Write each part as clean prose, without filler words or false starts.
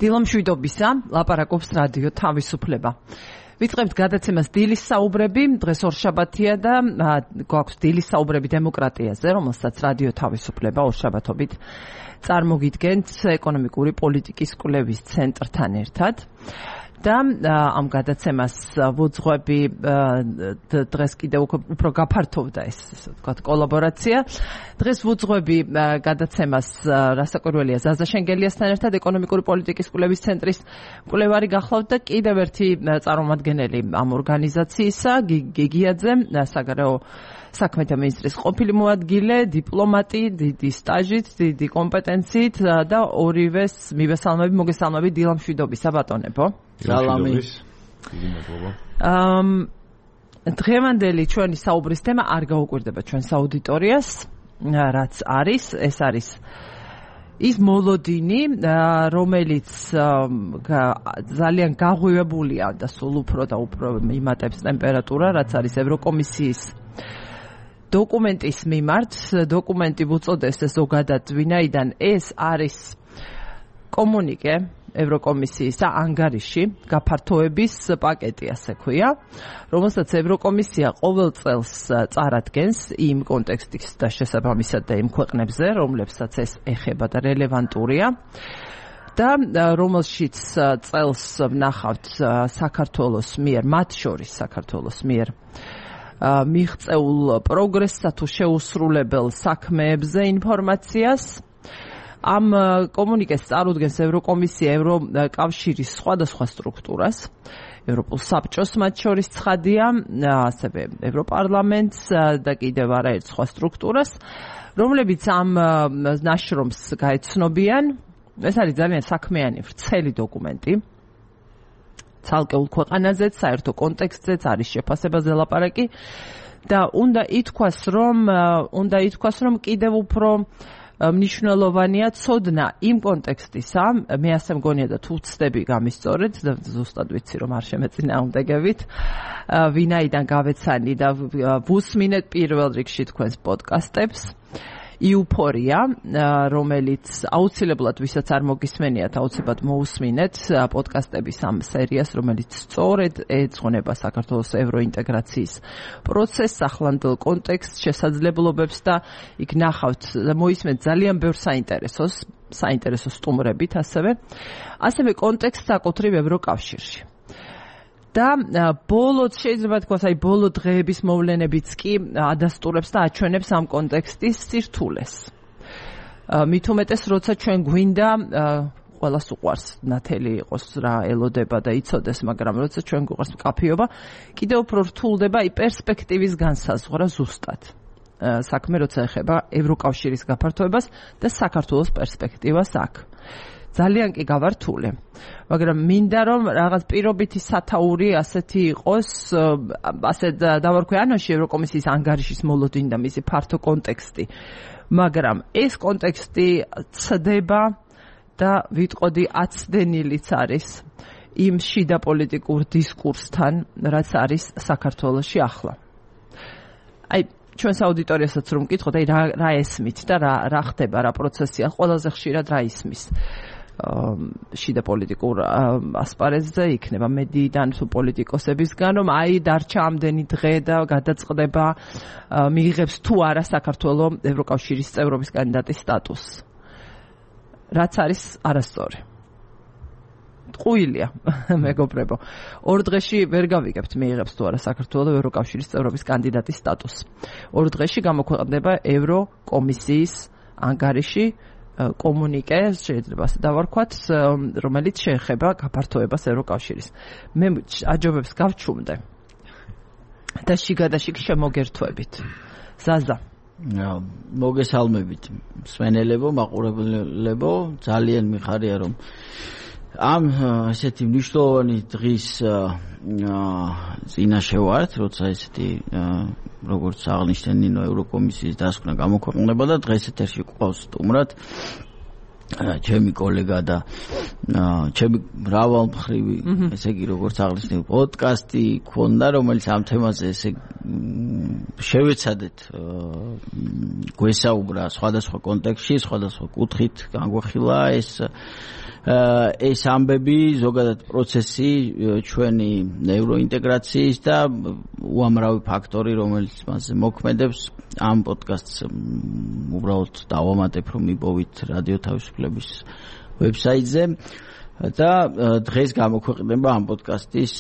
დილამშვიდობისა, ლაპარაკობს რადიო თავისუფლება. ვიწყებთ გადაცემას დილის საუბრები, დღეს ორშაბათია და გვაქვს დილის საუბრები დემოკრატიაზე, რომელსაც რადიო თავისუფლება ორშაბათობით წარმოგიდგენთ ეკონომიკური პოლიტიკის კვლევის ცენტრთან ერთად. და ამ გადაცემას ვუძღვები დღეს კიდევ უფრო გაფართოვდა ეს ვთქვათ კოლაბორაცია. დღეს ვუძღვები გადაცემას რასაკვირველია ზაზა შენგელიასთან ერთად ეკონომიკური პოლიტიკის კვლევის ცენტრის კვლევარი გახლავთ და კიდევ ერთი წარმომადგენელი ამ ორგანიზაციისა გიგიაძე საგარეო საქმეთა მინისტრის ყოფილი მოადგილე, დიპლომატი, დიდი სტაჟით, დიდი კომპეტენციით და ორივეს მივესალმები, მოგესალმებით დილამშვიდობისა ბატონებო. სალამი. დღევანდელი ჩვენი საუბრის თემა არ გაუკვირდება ჩვენს აუდიტორიას, რაც არის, ეს არის ის მოლოდინი, რომელიც ძალიან გაღვივებულია და სულ უფრო და უფრო იმატებს ტემპერატურა, რაც არის ევროკომისიის დოკუმენტის მიმართ. დოკუმენტი უწოდეს ზოგადად ვინაიდან ეს არის კომუნიკე ევროკომისიისა ანგარიში გაფართოების პაკეტი ასე ქვია, რომელსაც ევროკომისია ყოველ წელს წარადგენს იმ კონტექსტის და შესაბამისად და იმ ქვეყნებზე, რომლებსაც ეს ეხება და რელევანტურია და რომელშიც წელს ვნახავთ საქართველოს მიერ, მათ შორის საქართველოს მიერ მიღწეულ პროგრესსა თუ შეუსრულებელ საქმეებზე ინფორმაციას. ამ კომუნიკეს წარუდგენს ევროკომისია ევროკავშირის სხვადასხვა სტრუქტურას, ევროპულ საბჭოს მათ შორის ცხადია, ასევე ევროპარლამენტს და კიდევ არაერთ სხვა სტრუქტურას, რომლებიც ამ ნაშრომს გაეცნობიან. ეს არის ძალიან საქმიანი ვრცელი დოკუმენტი. ცალკეულ ქვეყანაზეც, საერთო კონტექსტზეც არის შეფასებაზე ლაპარაკი და უნდა ითქვას, რომ კიდევ უფრო მნიშვნელოვანია ცოდნა იმ კონტექსტისა, მე ასე მგონია და თუ ვცდები გამისწორეთ და ზუსტად ვიცი რომ არ შემეწინააღმდეგებით, ვინაიდან გავეცანი და ვუსმინეთ პირველ რიგში თქვენს პოდკასტებს. იუფორია, რომელიც აუცილებლად ვისაც არ მოგისმენიათ, აუცილებლად მოусმინეთ პოდკასტების ამ სერიას, რომელიც სწორედ ეძღვნება საქართველოს ევროინტეგრაციის პროცესს, ახლანდელ კონტექსტს, შესაძლებლობებს და იქ ნახავთ მოისმენთ ძალიან ბევრ საინტერესო სტუმრებით ასევე კონტექსტს საკუთრივ ევროკავშირში. და ბოლოდ შეიძლება თქვას, ბოლო დღეების მოვლენებიც კი ადასტურებს და აჩვენებს ამ კონტექსტის სირთულეს. მით უმეტეს, როცა ჩვენ გვინდა ყველას უყვარს ნათელი იყოს რა ელოდება და იცოდეს, მაგრამ როცა ჩვენ გვყვარს მკაფიობა, კიდევ უფრო რთულდება პერსპექტივის განსაზღვრა ზუსტად. საქმე როცა ეხება ევროკავშირის გაფართოებას და საქართველოს პერსპექტივას აქ. ძალიან კი გავართულე, მაგრამ მინდა რომ რაღაც პირობითი სათაური ასეთი იყოს, ასე დავარქვი ანონში ევროკომისიის ანგარიშის მოლოდინი და მისი ფართო კონტექსტი, მაგრამ ეს კონტექსტი ცდება და ვიტყოდი აცდენილიც არის იმ შიდა პოლიტიკურ დისკურსთან, რაც არის საქართველოში ახლა. ჩვენს აუდიტორიასაც რომ მკითხოთ, რა ესმით და რა ხდება, რა პროცესია, ყველაზე ხშირად რა ისმის შიდა პოლიტიკურ ასპარეზზე, იქნება მედიიდან თუ პოლიტიკოსებისგან, რომ დარჩა ამდენი დღე და გადაწყდება, მიიღებს თუ არა საქართველოს ევროკავშირის წევრობის კანდიდატის სტატუსს. რაც არის არასწორი. ტყუილია, მეგობრებო. 2 დღეში ვერ გავიგებთ მიიღებს თუ არა საქართველოს ევროკავშირის წევრობის კანდიდატის სტატუსს. 2 დღეში გამოქვეყნდება ევროკომისიის ანგარიში, კომუნიკე, შეიძლება ასე დავარქვათ, რომელიც შეეხება გაფართოებას ევროკავშირის. მე აჯობებს გავჩუმდე და შიგადაშიგ შემოგერთვებით. ზაზა. მოგესალმებით, მსმენელებო, მაყურებლებო, ძალიან მიხარია რომ ამ ესეთი მნიშვნელოვანი დღის წინაშე ვართ, როცა ესეთი როგორც აღნიშნე ნინო ევროკომისიის დასკვნა გამოქვეყნდება და დღეს ეთერში გვყავს სტუმრად ჩემი კოლეგა და ჩემი მრავალმხრივი ესე იგი როგორც აღნიშნე პოდკასტი ქონდა რომელიც ამ თემაზე ესე შევეცადეთ გვესაუბრა სხვადასხვა კონტექსტში სხვადასხვა კუთხით განგვეხილა ეს ამბები ზოგადად პროცესი ჩვენი ნევროინტეგრაციის და უამრავი ფაქტორი რომელიც მასზე მოქმედებს ამ პოდკასტს უბრალოდ დავამატებ რომ მიპოვით რადიო თავისუფლების ვებსაიტზე და დღეს გამოქვეყნება ამ პოდკასტის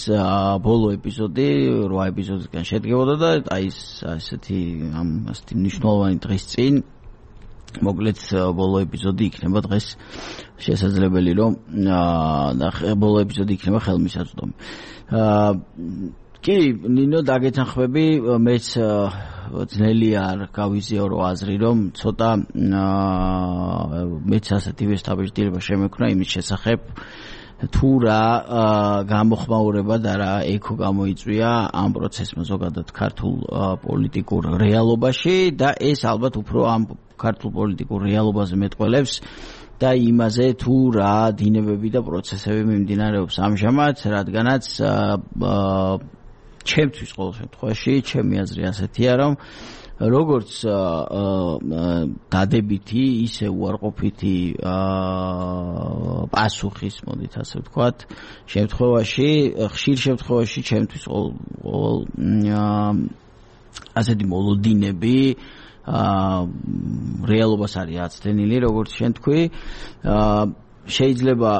ბოლო ეპიზოდი 8 ეპიზოდისგან შედგებოდა და აი ესეთი მნიშვნელოვანი დღის წინ მოკლედ ბოლო ეპიზოდი იქნება დღეს შესაძლებელი რომ ბოლო ეპიზოდი იქნება ხელმისაწვდომი კი ნინო დაგეთანხმები მეც ძნელი არ გავიზიარო აზრი რომ ცოტა მეც ასეთი ვესტაბეჭდილება შემექნა იმის შესახებ თუ რა გამოხმაურება და რა ეკო გამოიწვია ამ პროცესმა ზოგადად ქართულ პოლიტიკურ რეალობაში და ეს ალბათ უფრო ამ ქართულ პოლიტიკურ რეალობაზე მეტყველებს და იმაზე თუ რა დინებები და პროცესები მიმდინარეობს ამჟამად რადგანაც ჩემთვის ყოველ შემთხვევაში ჩემი აზრი ასეთია რომ როგორც დადებითი ისე უარყოფითი პასუხის მოდით ასე ვთქვათ შემთხვევაში ხშირ შემთხვევაში ჩემთვის ყოველ ასეთი მოლოდინები რეალობას არის აცდენილი როგორც შენ თქვი შეიძლება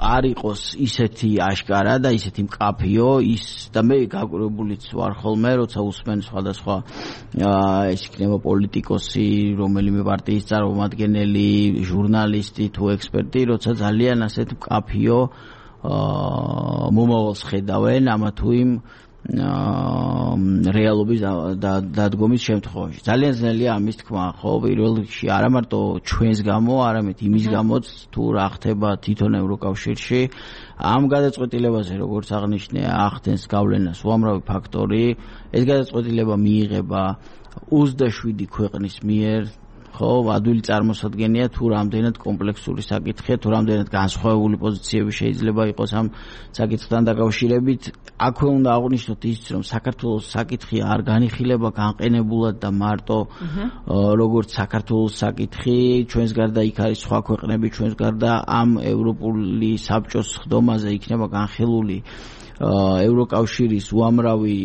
არ იყოს ისეთი აშკარა და ისეთი მკაფიო ის და მე გაკურებულიც ვარ ხოლმე როცა უსმენ სხვადასხვა ეს იქნება პოლიტიკოსი რომელიმე პარტიის წარმომადგენელი ჟურნალისტი თუ ექსპერტი როცა ძალიან ასეთ მკაფიო მომავალს ხედავენ ამა თუ იმ რეალობის დადგომის შემთხვევაში. ძალიან ძნელია ამის თქმა, ხო, პირველ რიგში არა მარტო ჩვენს გამო, არამედ იმის გამოც თუ რა ხდება თვითონ ევროკავშირში. ამ გადაწყვეტილებაზე, როგორც აღნიშნე, ახდენს გავლენას უამრავი ფაქტორი. ეს გადაწყვეტილება მიიღება 27 ქვეყნის მიერ. ხო, ადვილი წარმოსადგენია თუ რამდენად კომპლექსური საკითხია, თუ რამდენად განსხვავებული პოზიციები შეიძლება იყოს ამ საკითხთან დაკავშირებით. აქვე უნდა აღვნიშნოთ ისიც, რომ საქართველოს საკითხი არ განიხილება განყენებულად და მარტო როგორც საქართველოს საკითხი, ჩვენს გარდა იქ არის სხვა ქვეყნები, ჩვენს გარდა ამ ევროპული საბჭოს ხდომაზე იქნება განხილული ევროკავშირის უამრავი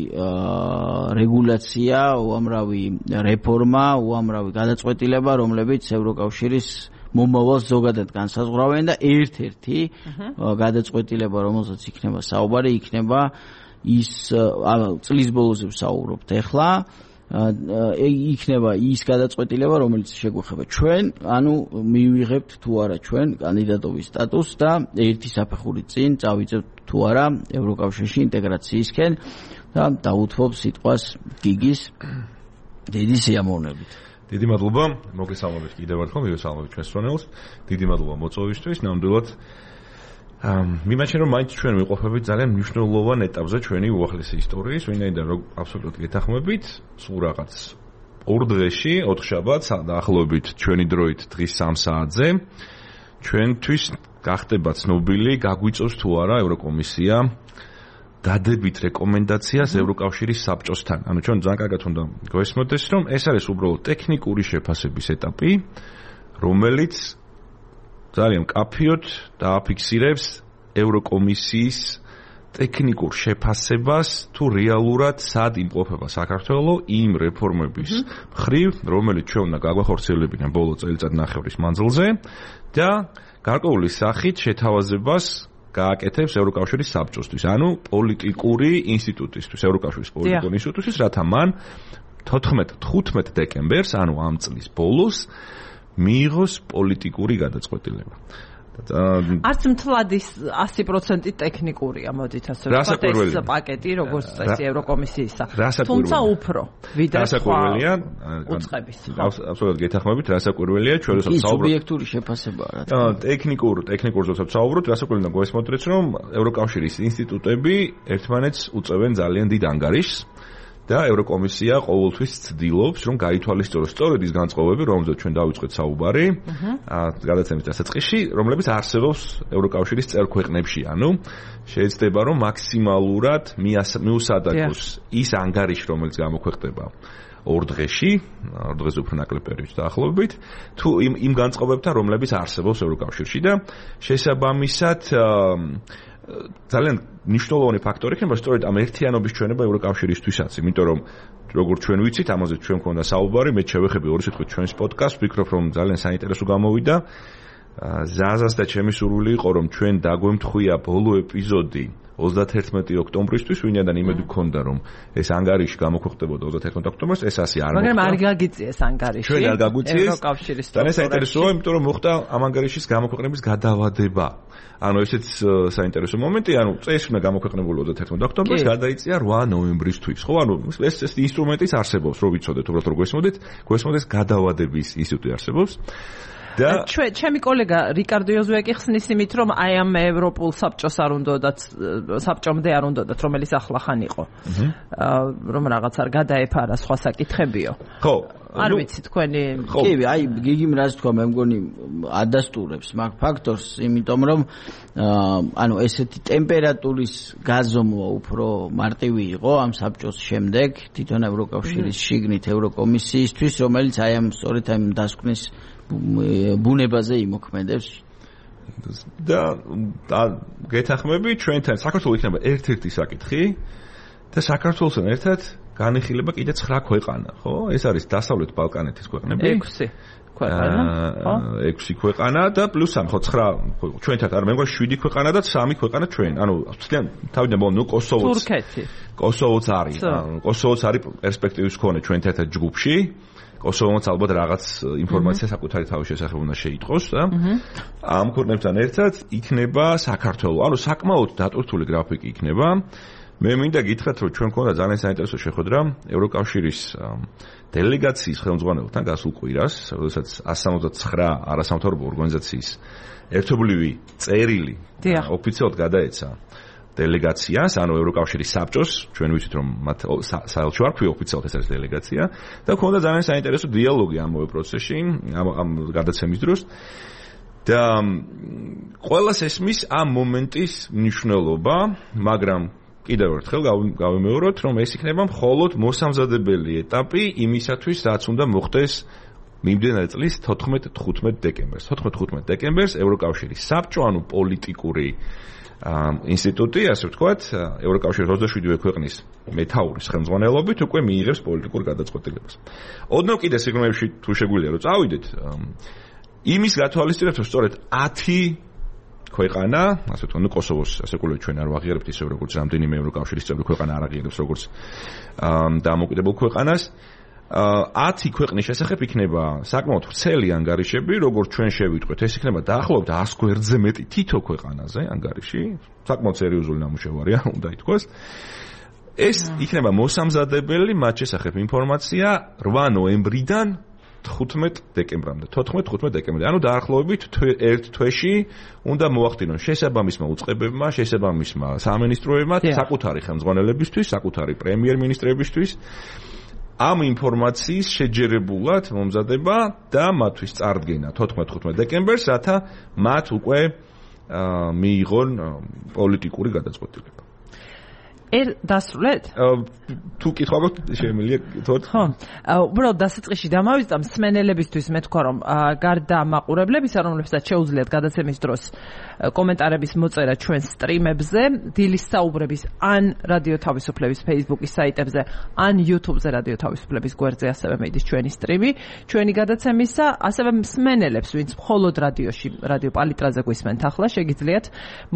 რეგულაცია, უამრავი რეფორმა, უამრავი გადაწყვეტილება, რომლებიც ევროკავშირის მომავალს ზოგადად განსაზღვრავენ და ერთ-ერთი გადაწყვეტილება, რომელზეც იქნება საუბარი, იქნება ის წლის ბოლოზე ვსაუბრობთ ახლა, იქნება ის გადაწყვეტილება, რომელიც შეგვეხება ჩვენ, ანუ მივიღებთ თუ არა ჩვენ კანდიდატობის სტატუსს და ერთი საფეხური წინ წავიწევთ თუ არა ევროკავშირში ინტეგრაციისკენ და დაუთმობ სიტყვას გიგის დიდი სიამოვნებით. დიდი მადლობა, მოგესალმებით კიდევ ერთხელ, მივესალმებით ჩვენს სვანელს. დიდი მადლობა მოწვევისთვის, ნამდვილად მიმაჩნია რომ მაინც ჩვენ ვიყოფებით ძალიან მნიშვნელოვან ეტაპზე ჩვენი უახლესი ისტორიის, ვინაიდან რომ აბსოლუტურად გეთანხმებით, სულ რაღაც 2 დღეში, 4 შაბათს დაახლოებით ჩვენი დროით დღის 3 საათზე ჩვენთვის გახდება ცნობილი, გაგვიწევს თუ არა ევროკომისია დადებით რეკომენდაციას ევროკავშირის საბჭოსთან. ანუ ჩვენ ძალიან კარგად უნდა გვესმოდეს, რომ ეს არის უბრალოდ ტექნიკური შეფასების ეტაპი, რომელიც ძალიან მკაფიოდ დააფიქსირებს ევროკომისიის ტექნიკურ შეფასებას თუ რეალურად სად იმყოფება საქართველოს იმ რეფორმების მხრივ, რომელიც ჩვენ უნდა გაგვახორციელებინან ბოლო წელიწადნახევრის მანძილზე და გარკვეული სახით შეთავაზებას გააკეთებს ევროკავშირის საბჭოსთვის, ანუ პოლიტიკური ინსტიტუტისთვის, ევროკავშირის პოლიტიკური ინსტიტუტისთვის, რათა მან 15 დეკემბერს, ანუ ამ წლის ბოლოს მიიღოს პოლიტიკური გადაწყვეტილება. არც მთლად ის 100% ტექნიკურია, მოდით ასე ვთქვათ, ეს პაკეტი, როგორც წესი ევროკომისიისა. თუმცა უფრო ვიდრე რასაკვირველია, უწყების. აბსოლუტურად გეთანხმებით, რასაკვირველია, ჩვენ როცა ვსაუბრობთ სუბიექტური შეფასებაა რა. ტექნიკურ როცა ვსაუბრობთ, რასაკვირველია გვესმოტრეთ, რომ ევროკავშირის ინსტიტუტები ერთმანეთს უწევენ ძალიან დიდ ანგარიშს. და ევროკომისია ყოველთვის ცდილობს, რომ გაითვალისწინოს სწორედ ის განწყობები, რომელზეც ჩვენ დავიწყეთ საუბარი, გადაცემის დასაწყისში, რომლებიც არსებობს ევროკავშირის წევრ ქვეყნებში, ანუ შეიძლება რომ მაქსიმალურად მიუსადაგოს ის ანგარიში, რომელიც გამოქვეყნდება 2 დღეში, 2 დღეზე უფრო ნაკლებ პერიოდში დაახლოებით, თუ იმ განწყობებთან, რომლებიც არსებობს ევროკავშირში და შესაბამისად ძალიან მნიშვნელოვანი ფაქტორი იქნება სწორედ ამ ერთიანობის ჩვენება ევროკავშირისთვისაც, იმიტომ რომ როგორც ჩვენ ვიცით, ამაზე ჩვენ მქონდა საუბარი, მე შევეხები 2 სიტყვით ჩვენს პოდკასტს, ვფიქრობ რომ ძალიან საინტერესო გამოვიდა. ზაზას და ჩემი სურვილი იყო რომ ჩვენ დაგვემთხვია ბოლო ეპიზოდი 31 ოქტომბრისთვის, ვინაიდან იმედი გქონდა რომ ეს ანგარიში გამოქვეყნდებოდა 31 ოქტომბერს, ეს ასე არ მოხდა. მაგრამ არ გაგიწიეს ანგარიში. ჩვენ არ გაგვიწიეს. ევროკავშირის ძალიან საინტერესოა, იმიტომ რომ მოხდა ამ ანგარიშის გამოქვეყნების გადავადება. ანუ ესეც საინტერესო მომენტი, ანუ წესი უნდა გამოქვეყნებულიყო 31 ოქტომბერს, გადაიწია 8 ნოემბრისთვის. ხო, ანუ ეს ინსტრუმენტიც არსებობს, რომ ვიცოდეთ, უბრალოდ რომ გვესმოდეს გადავადების ინსტიტუტი არსებობს. ჩემი კოლეგა რიკარდო იოზუეკი ხსნის იმით, რომ აი ამ ევროპულ საბჭოს არ უნდათ, საბჭომდე არ უნდათ, რომელიც ახლახან იყო. რომ რაღაც არ გადაეფარა სხვა საკითხებიო. ხო. არ ვიცი თქვენი. კი, აი გიგიმ რაც თქვა, მე მგონი ადასტურებს მაგ ფაქტორს, იმიტომ რომ ანუ ესეთი ტემპერატურის გაზომვა უფრო მარტივი იყო ამ საბჭოს შემდეგ თვითონ ევროკავშირის შიგნით ევროკომისიისთვის, რომელიც აი ამ სწორედ ამ დასკვნის ბუნებაზე იმოქმედებს და გეთახმები ჩვენთან საქართველოს იქნება ერთ-ერთი საკითხი და საქართველოსთან ერთად განიხილება კიდე 9 ქვეყანა, ხო? ეს არის დასავლეთ ბალკანეთის ქვეყნები. 6 ქვეყანა, ხო? 6 ქვეყანა და პლუს 3, ხო 9 ჩვენთან არ მეგონა 7 ქვეყანა და 3 ქვეყანა ჩვენ. ანუ ძალიან თავიდან ბოლო კოსოვოც. თურქეთი. კოსოვოც არის. კოსოვოც არის პერსპექტივის მქონე ჩვენთან ერთად ჯგუფში. კოსოვოც ალბათ რაღაც ინფორმაცია საკუთარი თავის შესახებ უნდა შეიტყოს და ამ ქვეყნებთან ერთად იქნება საქართველოს. ანუ საკმაოდ დატვირთული გრაფიკი იქნება. მე მინდა გითხრათ, რომ ჩვენ მქონდა ძალიან საინტერესო შეხვედრა ევროკავშირის დელეგაციის ხელმძღვანელთან გასულ კვირას, როდესაც 169 არასამთავრობო ორგანიზაციის ერთობლივი წერილი ოფიციალურად გადაეცა დელეგაციას, ანუ ევროკავშირის საბჭოს, ჩვენ ვიცით რომ მათ საელჩო არ ქვია ოფიციალურად ეს არის დელეგაცია და მქონდა ძალიან საინტერესო დიალოგი ამავე პროცესში, ამ გადაცემის დროს და ყველას ესმის ამ მომენტის მნიშვნელობა, მაგრამ კიდევ ერთხელ გავიმეოროთ, რომ ეს იქნება მხოლოდ მოსამზადებელი ეტაპი იმისათვის, რაც უნდა მოხდეს მიმდინარე წლის 14-15 დეკემბერს. 14-15 დეკემბერს ევროკავშირის საბჭო, ანუ პოლიტიკური ინსტიტუტი, ასე ვთქვათ, ევროკავშირის 27 ქვეყნის მეთაურის ხელმძღვანელობით უკვე მიიღებს პოლიტიკურ გადაწყვეტილებას. ოდნავ კიდე სიგნალებში თუ შეგვიძლია რომ წავიდეთ, იმის გათვალისწინებთ, რომ სწორედ 10 ქვეყანა, ასე ვთქვათ, ნუ კოსოვოს ასე კულევით ჩვენ არ ვაღიარებთ ისე როგორც რამდენიმე ევროკავშირის წევრი ქვეყანა არ აღიარებს როგორც დამოუკიდებელ ქვეყანას. 10 ქვეყნის შესახებ იქნება საკმაოდ ვრცელი ანგარიშები, როგორც ჩვენ შევიტყვეთ, ეს იქნება დაახლოებით 100 გვერდზე მეტი თითო ქვეყანაზე ანგარიში, საკმაოდ სერიოზული ნამუშევარია, უნდა ითქვას. ეს იქნება მოსამზადებელი მათ შესახებ ინფორმაცია 8 ნოემბრიდან 15 დეკემბრამდე, 14-15 დეკემბრამდე. ანუ დაახლოებით ერთ თვეში უნდა მოახდინონ შესაბამისმა უწყებებმა, შესაბამისმა სამინისტროებმა საკუთარი ხელმძღვანელებისთვის, საკუთარი პრემიერ-მინისტრებისთვის ამ ინფორმაციის შეჯერებულად მომზადება და მათთვის წარდგენა 14-15 დეკემბერს, რათა მათ უკვე მიიღონ პოლიტიკური გადაწყვეტილება. დასრულეთ? თუ კითხვა გაქვთ, შემიძლია გითხრათ? ხო. უბრალოდ დასაწყისში დამავიწყდა მსმენელებისთვის მე თქვა რომ გარდა მაყურებლებისა, რომლებსაც შეუძლიათ გადაცემის დროს კომენტარების მოწერა ჩვენ სტრიმებზე, დილის საუბრების ან რადიო თავისუფლების Facebook-ის საიტებზე, ან YouTube-ზე რადიო თავისუფლების გვერდზე ასევე მიდის ჩვენი სტრიმი, ჩვენი გადაცემისა, ასევე მსმენელებს, ვინც მხოლოდ რადიოში, რადიო პალიტრაზე გვისმენთ ახლა, შეგიძლიათ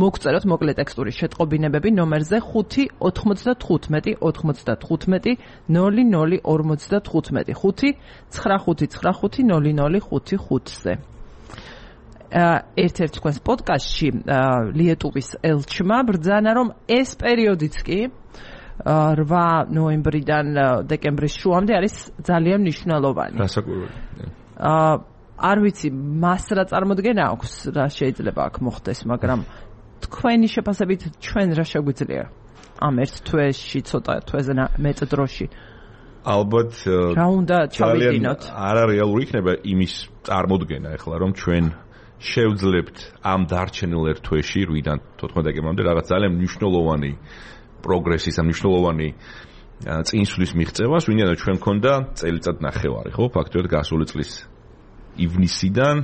მოგწეროთ მოკლე ტექსტური შეტყობინებები ნომერზე 5 95 95 00 55 5 9595 0055-ზე. ერთ-ერთ თქვენს პოდკასტში ლიეტუვის ელჩმა ბრძანა, რომ ეს პერიოდიც კი 8 ნოემბრიდან დეკემბრის შუამდე არის ძალიან მნიშვნელოვანი. რასაკვირველი. არ ვიცი, მას რა წარმოდგენა აქვს, რა შეიძლება აქ მოხდეს, მაგრამ თქვენი შეფასებით ჩვენ რა შეგვიძლია? ამ ერთ თვეში ცოტა თვეზე მეტ დროში ალბათ რა უნდა ჩავიდინოთ არარეალური იქნება იმის წარმოდგენა ახლა რომ ჩვენ შევძლებთ ამ დარჩენილ ერთ თვეში 8-დან 14 დეკემბრამდე რაღაც ძალიან მნიშვნელოვანი პროგრესის ან მნიშვნელოვანი წინსვლის მიღწევას, ვინაიდან ჩვენ მქონდა წელიწად ნახევარი, ხო, ფაქტობრივად გასული წლის ივნისიდან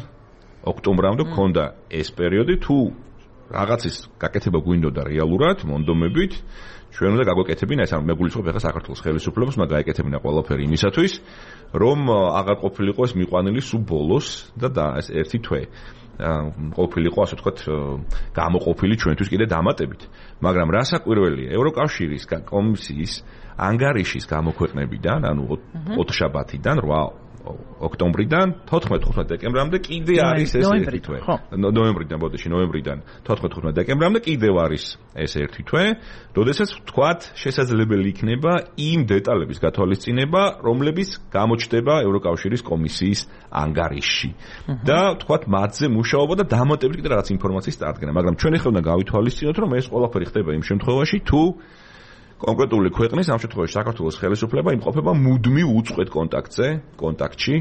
ოქტომბრამდე მქონდა ეს პერიოდი, თუ რაღაცის გაკეთება გვინდოდა რეალურად, მონდომებით, ჩვენ უნდა გაგვეკეთებინა ეს, მე გულისხმობ ახლა საქართველოს ხელისუფლებას, უნდა გაეკეთებინა ყველაფერი იმისათვის, რომ აღარ ყოფილიყო ეს მიყვანილი სულ ბოლოს და ეს ერთი თვე ყოფილიყო, ასე ვთქვათ, გამოყოფილი ჩვენთვის კიდე დამატებით. მაგრამ რასაკვირველია, ევროკავშირის კომისიის ანგარიშის გამოქვეყნებიდან, ანუ 4 შაბათიდან 8 ოქტომბრიდან 14-15 დეკემბრამდე კიდე არის ეს ერთი თვე. ნოემბრიდან, ბოდიში, ნოემბრიდან 14-15 დეკემბრამდე კიდევ არის ეს ერთი თვე, როდესაც ვთქვათ, შესაძლებელი იქნება იმ დეტალების გათვალისწინება, რომლებიც გამოჩნდება ევროკავშირის კომისიის ანგარიშში. და ვთქვათ, მათზე მუშაობა და დამატებით კიდე რაღაც ინფორმაციის წარდგენა, მაგრამ ჩვენ ახლა უნდა გავითვალისწინოთ, რომ ეს ყველაფერი ხდება იმ შემთხვევაში, თუ კონკრეტული ქვეყნის, ამ შემთხვევაში საქართველოს ხელისუფლება იმყოფება მუდმივ უწყვეტ კონტაქტში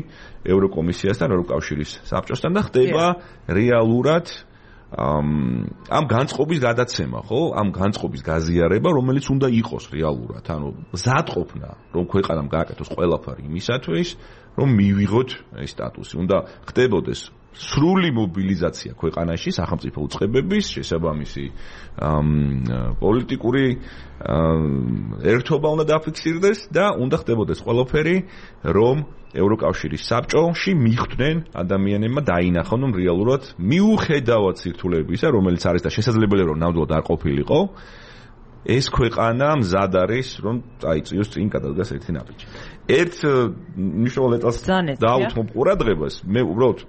ევროკომისიასთან, ევროკავშირის საბჭოსთან და ხდება რეალურად ამ განწყობის გადაცემა, ხო? ამ განწყობის გაზიარება, რომელიც უნდა იყოს რეალურად, ანუ მზადყოფნა, რომ ქვეყანამ გააკეთოს ყველაფერი იმისათვის, რომ მივიღოთ ეს სტატუსი. უნდა ხდებოდეს სრული მობილიზაცია ქვეყანაში სახელმწიფო უწყებების შესაბამისი პოლიტიკური ერთობა უნდა დაფიქსირდეს და უნდა ხდებოდეს ყველაფერი, რომ ევროკავშირის საბჭოში მიხვდნენ ადამიანებმა დაინახონ, რომ რეალურად მიუხედავად სირთულეებისა, რომელიც არის და შესაძლებელია რომ ნამდვილად არ ყოფილიყო, ეს ქვეყანა მზად არის, რომ წაიწიოს წინ გადადგას ერთი ნაბიჯი. ერთ მნიშვნელოვან დეტალს დაუთმობ ყურადღებას, მე უბრალოდ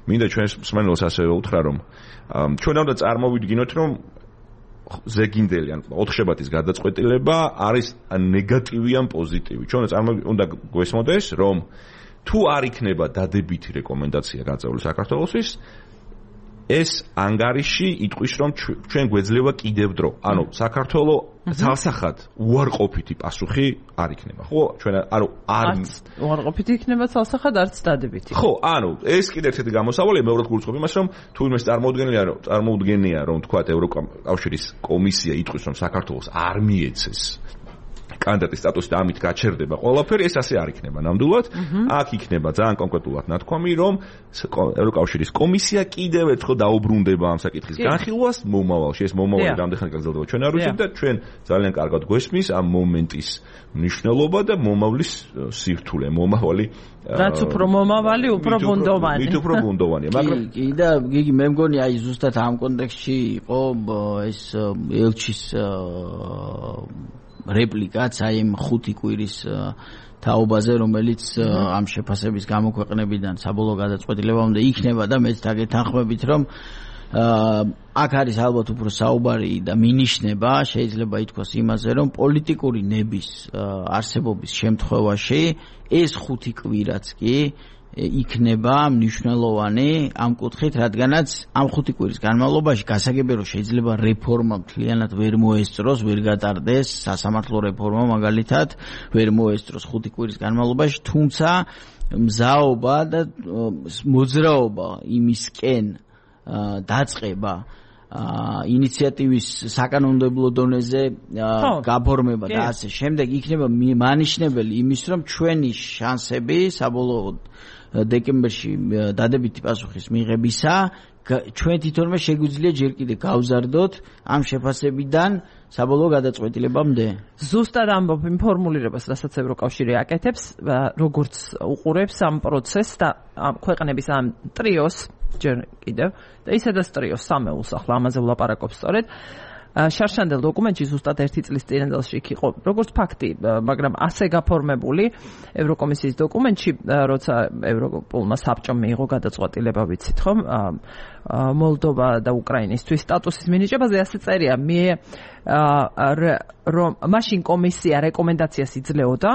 მინდა ჩვენს მსმენელს ასევე უთხრა, რომ ჩვენ უნდა წარმოვიდგინოთ, რომ ზეგინდელი ან 4 შაბათის გადაწყვეტილება არის ნეგატივი ან პოზიტივი. ჩვენ უნდა გვესმოდეს, რომ თუ არ იქნება დადებითი რეკომენდაცია გაწეული საქართველოსთვის, ეს ანგარიში იტყვის, რომ ჩვენ გვეძლევა კიდევ დრო. ანუ საქართველო ძალსახად უარყოფითი პასუხი არ იქნება. ხო, ჩვენ არ უარყოფითი იქნება ძალსახად, არც დადებითი. ხო, ანუ ეს კიდევ ერთი გამოსავალია, მეორად გულისხმობ იმას, რომ თუ იმას წარმოუდგენია, რომ თქვა ევროკავშირის კომისია იტყვის, რომ საქართველოს არ მიეცეს კანდიდატის სტატუსი და ამით გაჩერდება ყველაფერი, ეს ასე არ იქნება ნამდვილად. აქ იქნება ძალიან კონკრეტულად ნათქვამი, რომ ევროკავშირის კომისია კიდევ ერთხელ დაუბრუნდება ამ საკითხის განხილვას მომავალში. ეს მომავალი რამდენი ხანი გაგრძელდება ჩვენ არ ვიცით და ჩვენ ძალიან კარგად გვესმის ამ მომენტის მნიშვნელობა და მომავლის სირთულე, მომავალი რაც უფრო მომავალი, უფრო ბუნდოვანი. მით უფრო ბუნდოვანია, მაგრამ კი და გიგი მე მგონი აი ზუსტად ამ კონტექსტში იყო ეს ელჩის რეპლიკაც აი ამ 5 კვირის თაობაზე, რომელიც ამ შეფასების გამოქვეყნებიდან საბოლოო გადაწყვეტილებამდე იქნება და მეც დაგეთანხმებით, რომ აქ არის ალბათ უფრო საუბარი და მინიშნება, შეიძლება ითქვას იმაზე, რომ პოლიტიკური ნების არსებობის შემთხვევაში ეს 5 კვირაც კი იქნება მნიშვნელოვანი ამ კუთხით, რადგანაც ამ 5 კვირის განმავლობაში გასაგებია, რომ შეიძლება რეფორმა მთლიანად ვერ მოესწროს, ვერ გატარდეს სასამართლო რეფორმა მაგალითად, ვერ მოესწროს 5 კვირის განმავლობაში, თუმცა მზაობა და მოძრაობა იმისკენ დაწყება ინიციატივის საკანონმდებლო დონეზე გაფორმება და ასე შემდეგ იქნება მანიშნებელი იმის, რომ ჩვენი შანსები საბოლოოდ დეკემბერში დადებითი პასუხის მიღებისა ჩვენ თვითონვე შეგვიძლია ჯერ კიდე გავზარდოთ ამ შეფასებიდან საბოლოო გადაწყვეტილებამდე. ზუსტად ამბობ იმ ფორმულირებას, რასაც ევროკავშირი აკეთებს, როგორც უყურებს ამ პროცესს და ქვეყნების ამ ტრიოს ჯერ კიდევ და ისედაც ტრიოს სამეულს ახლა ამაზე ვლაპარაკობ სწორედ. შარშანდელ დოკუმენტში ზუსტად 1 წლის წინანდელში იყო როგორც ფაქტი, მაგრამ ასე გაფორმებული ევროკომისიის დოკუმენტში, როცა ევროპულმა საბჭომ მიიღო გადაწყვეტილება, ვიცით ხომ, მოლდოვა და უკრაინისთვის სტატუსის მინიჭებაზე, ასე წერია, რომ მაშინ კომისია რეკომენდაციას იძლეოდა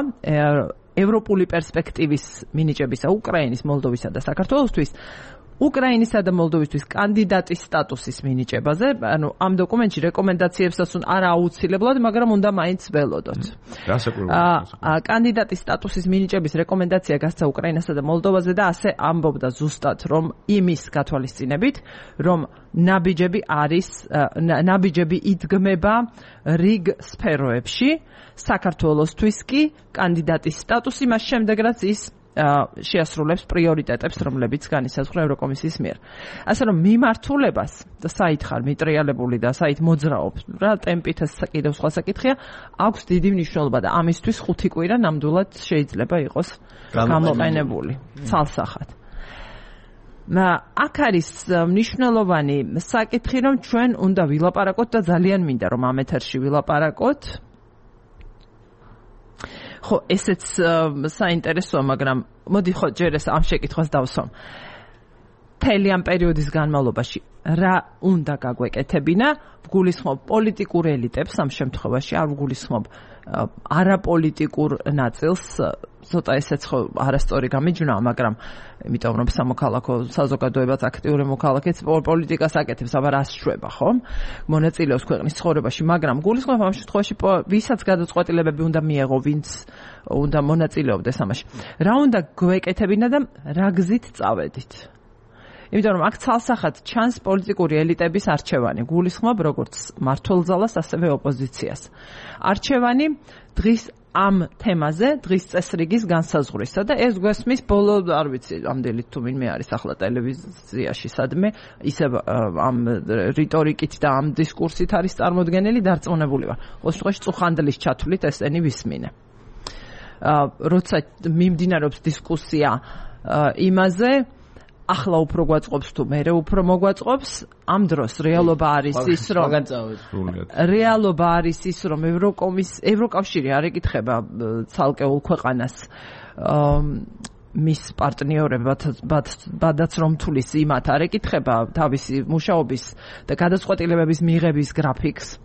ევროპული პერსპექტივის მინიჭებისა უკრაინის, მოლდოვისა და საქართველოსთვის უკრაინისა და მოლდოვისთვის კანდიდატის სტატუსის მინიჭებაზე, ანუ ამ დოკუმენტში რეკომენდაციებსაც არა აუცილებლად, მაგრამ უნდა მაინც ველოდოთ. კანდიდატის სტატუსის მინიჭების რეკომენდაცია გასცა უკრაინასა და მოლდოვაზე და ასე ამბობდა ზუსტად, რომ იმის გათვალისწინებით, რომ ნაბიჯები იდგმება რიგ სფეროებში, საქართველოსთვის კი კანდიდატის სტატუსი მას შემდეგ რაც ის შეასრულებს პრიორიტეტებს, რომლებიც განისაზღვრა ევროკომისიის მიერ. ასე რომ მიმართულებას და საით ხარ მიტრიალებული და საით მოძრაობ, რა ტემპით ეს კიდევ სხვა საკითხია, აქვს დიდი მნიშვნელობა და ამისთვის 5 კვირა ნამდვილად შეიძლება იყოს გამოყენებული ცალსახად. აქ არის მნიშვნელოვანი საკითხი, რომ ჩვენ უნდა ვილაპარაკოთ და ძალიან მინდა რომ ამ ეთერში ვილაპარაკოთ. ხო, ესეც საინტერესოა, მაგრამ მოდი ხო ჯერ ეს ამ შეკითხვას დავსვამ. მთელი ამ პერიოდის განმავლობაში რა უნდა გაგვეკეთებინა? ვგულისხმობ პოლიტიკურ ელიტებს ამ შემთხვევაში, არ ვგულისხმობ არაპოლიტიკურ ნაწილს, ცოტა ესეც ხო არასწორი გამიჯვნა, მაგრამ იმიტომ რომ სამოქალაქო საზოგადოებაც აქტიური მოქალაქეც პოლიტიკას აკეთებს, აბა რას შვება, ხო? მონაწილეობს ქვეყნის ცხოვრებაში, მაგრამ გულისხმობ ამ შემთხვევაში ვისაც გადაწყვეტილებები უნდა მიეღო, ვინც უნდა მონაწილეობდეს ამაში. რა უნდა გვეკეთებინა და რა გზით წავედით? იმიტომ რომ აქ ცალსახად ჩანს პოლიტიკური ელიტების არჩევანი, გულისხმობ როგორც მმართველ ძალას, ასევე ოპოზიციას. არჩევანი დღის ამ თემაზე, დღის წესრიგის განსაზღვრისა და ეს გვესმის ბოლო, არ ვიცი, ამდენით თუ ვინმე არის ახლა ტელევიზიაში სადმე, ისევ ამ რიტორიკით და ამ დისკურსით არის წარმოდგენილი, დარწმუნებული ვარ. ყოველ შემთხვევაში წუხანდლის ჩათვლით ესენი ვისმინე. როცა მიმდინარეობს დისკუსია იმაზე, ახლა უფრო გვაწყობს თუ მერე უფრო მოგვაწყობს, ამ დროს რეალობა არის ის, რომ ევროკავშირი არ ეკითხება ცალკეულ ქვეყანას მის პარტნიორებად რომ თulis იმათ არ ეკითხება თავისი მუშაობის და გადაწყვეტილებების მიღების გრაფიკს.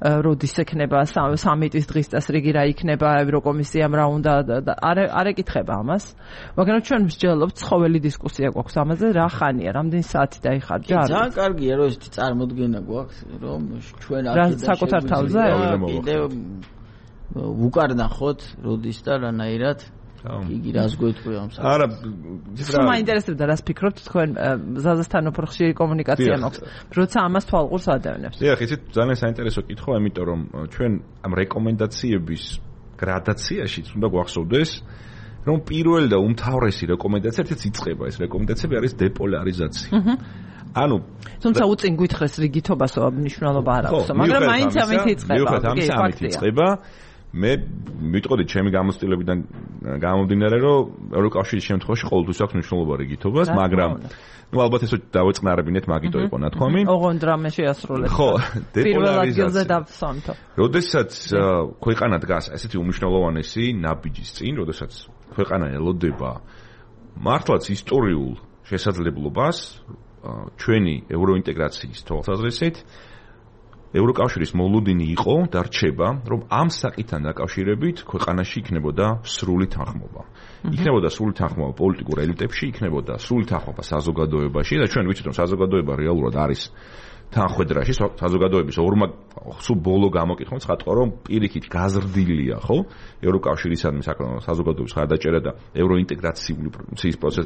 როდის ექნება სამიტის დღის წესრიგი, რა იქნება ევროკომისიამ რა უნდა არ ეკითხება ამას, მაგრამ ჩვენ მსჯელობთ ცხოველი დისკუსია გვაქვს ამაზე, რა ხანია, რამდენი საათი დაიხარჯა? ძალიან კარგია რომ ესეთი წარმოდგენა გვაქვს, რომ ჩვენ აქედან საკუთარ თავზე კიდევ ვუკარნახოთ როდის და რანაირად იგი რას გვეთქვი ამ საკითხს. არა, სულ მაინტერესებდა რას ფიქრობთ თქვენ ზაზასთან უფრო ხშირი კომუნიკაცია მაქვს, როცა ამას თვალყურს ადევნებს. დიახ, იცით ძალიან საინტერესო კითხვა, იმიტომ რომ ჩვენ ამ რეკომენდაციების გრადაციაში უნდა გვახსოვდეს, რომ პირველი და უმთავრესი რეკომენდაცია ერთად იწყება, ეს რეკომენდაციები არის დეპოლარიზაცია. ანუ თუმცა უწინ გითხრეს რიგითობასო მნიშვნელობა არ აქვს, მაგრამ მაინც ამით იწყება. მე მიტყოდით ჩემი გამოცდილებიდან გამომდინარე, რომ ევროკავშირის შემთხვევაში ყოველთვის აქვს მნიშვნელობა რიგითობას, მაგრამ ნუ ალბათ ეს დავეწყნარებინეთ, მაგიტო იყო ნათქვამი. ოღონდ რამე შეასრულეთ. ხო, დეპოლარიზაცია დავსვამთო. როდესაც ქვეყანა დგას ესეთი უმნიშვნელოვანესი ნაბიჯის წინ, როდესაც ქვეყანა ელოდება მართლაც ისტორიულ შესაძლებლობას ჩვენი ევროინტეგრაციის თვალსაზრისით, ევროკავშირის მოლოდინი იყო და რჩება, რომ ამ საკითხთან დაკავშირებით ქვეყანაში იქნებოდა სრული თანხმობა. იქნებოდა სრული თანხმობა პოლიტიკურ ელიტებში, იქნებოდა სრული თანხმობა საზოგადოებაში და ჩვენ ვიცით, რომ საზოგადოება რეალურად არის თანხwebdriverში, საზოგადოების ორმა სულ ბოლო გამოკითხვა ცხადყო, რომ პირიქით გაზრდილია, ხო? ევროკავშირისადმი საზოგადოების ხარდაჭერა და ევროინტეგრაციული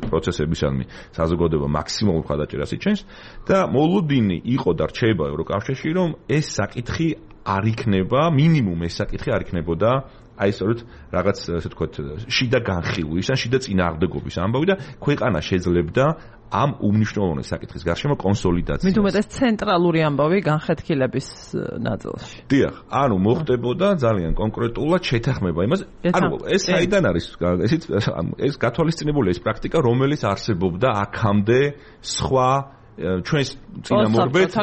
პროცესებისადმი საზოგადოება მაქსიმალურ ხარდაჭერას იჩენს და მოლოდინი იყო და რჩება ევროკავშირში, რომ ეს საკითხი არ იქნება, მინიმუმ ეს საკითხი არ იქნებოდა აი სწორედ რაღაც ასე ვთქვათ, შიდა განხილვის ან შიდა წინააღმდეგობის ამბავი და ქვეყანა შეძლებდა ამ უმნიშვნელოვანეს საკითხის გარშემო კონსოლიდაციას. მით უმეტეს ცენტრალური ამბავი განხეთქილების ნაწილში. დიახ, ანუ მოხდებოდა ძალიან კონკრეტულად შეთანხმება იმას, ანუ ეს საიდან არის, ეს გათვალისწინებულია ეს პრაქტიკა, რომელიც არსებობდა აქამდე სხვა ჩვენს წინამორბედ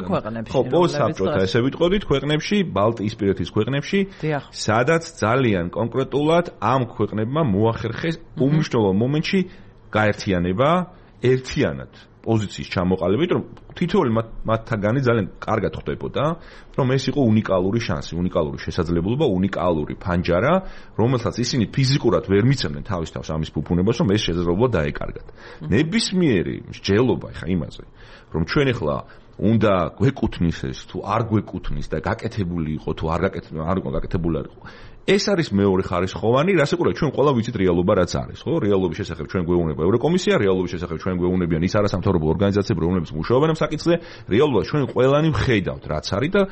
ხო პოსტსაბჭოთა ესე ვიტყოდით ქვეყნებში, ბალტიისპირეთის ქვეყნებში, სადაც ძალიან კონკრეტულად ამ ქვეყნებმა მოახერხეს უმნიშვნელოვანო მომენტში გაერთიანება ერთიანად პოზიციის ჩამოყალიბებით, რომ თითოეული მათთაგანი ძალიან კარგად ხვდებოდა, რომ ეს იყო უნიკალური შანსი, უნიკალური შესაძლებლობა, უნიკალური ფანჯარა, რომელსაც ისინი ფიზიკურად ვერ მიცემდნენ თავის თავს ამის ფუფუნებას, რომ ეს შესაძლებლობა დაეკარგათ. ნებისმიერი მსჯელობა ხა იმაზე, რომ ჩვენ ახლა უნდა გვეკუთვნის ეს თუ არ გვეკუთვნის და გაკეთებული იყო თუ არ გაკეთებული არ იყო. ეს არის მეორე ხარისხოვანი, რასაკურველი ჩვენ ყველა ვიცით რეალობა რაც არის, ხო? რეალობის შესახებ ჩვენ გვეუბნება ევროკომისია, რეალობის შესახებ ჩვენ გვეუბნებიან ის არასამთავრობო ორგანიზაციები, რომლებიც მუშაობენ ამ საკითხზე, რეალობას ჩვენ ყველანი ვხედავთ, რაც არის და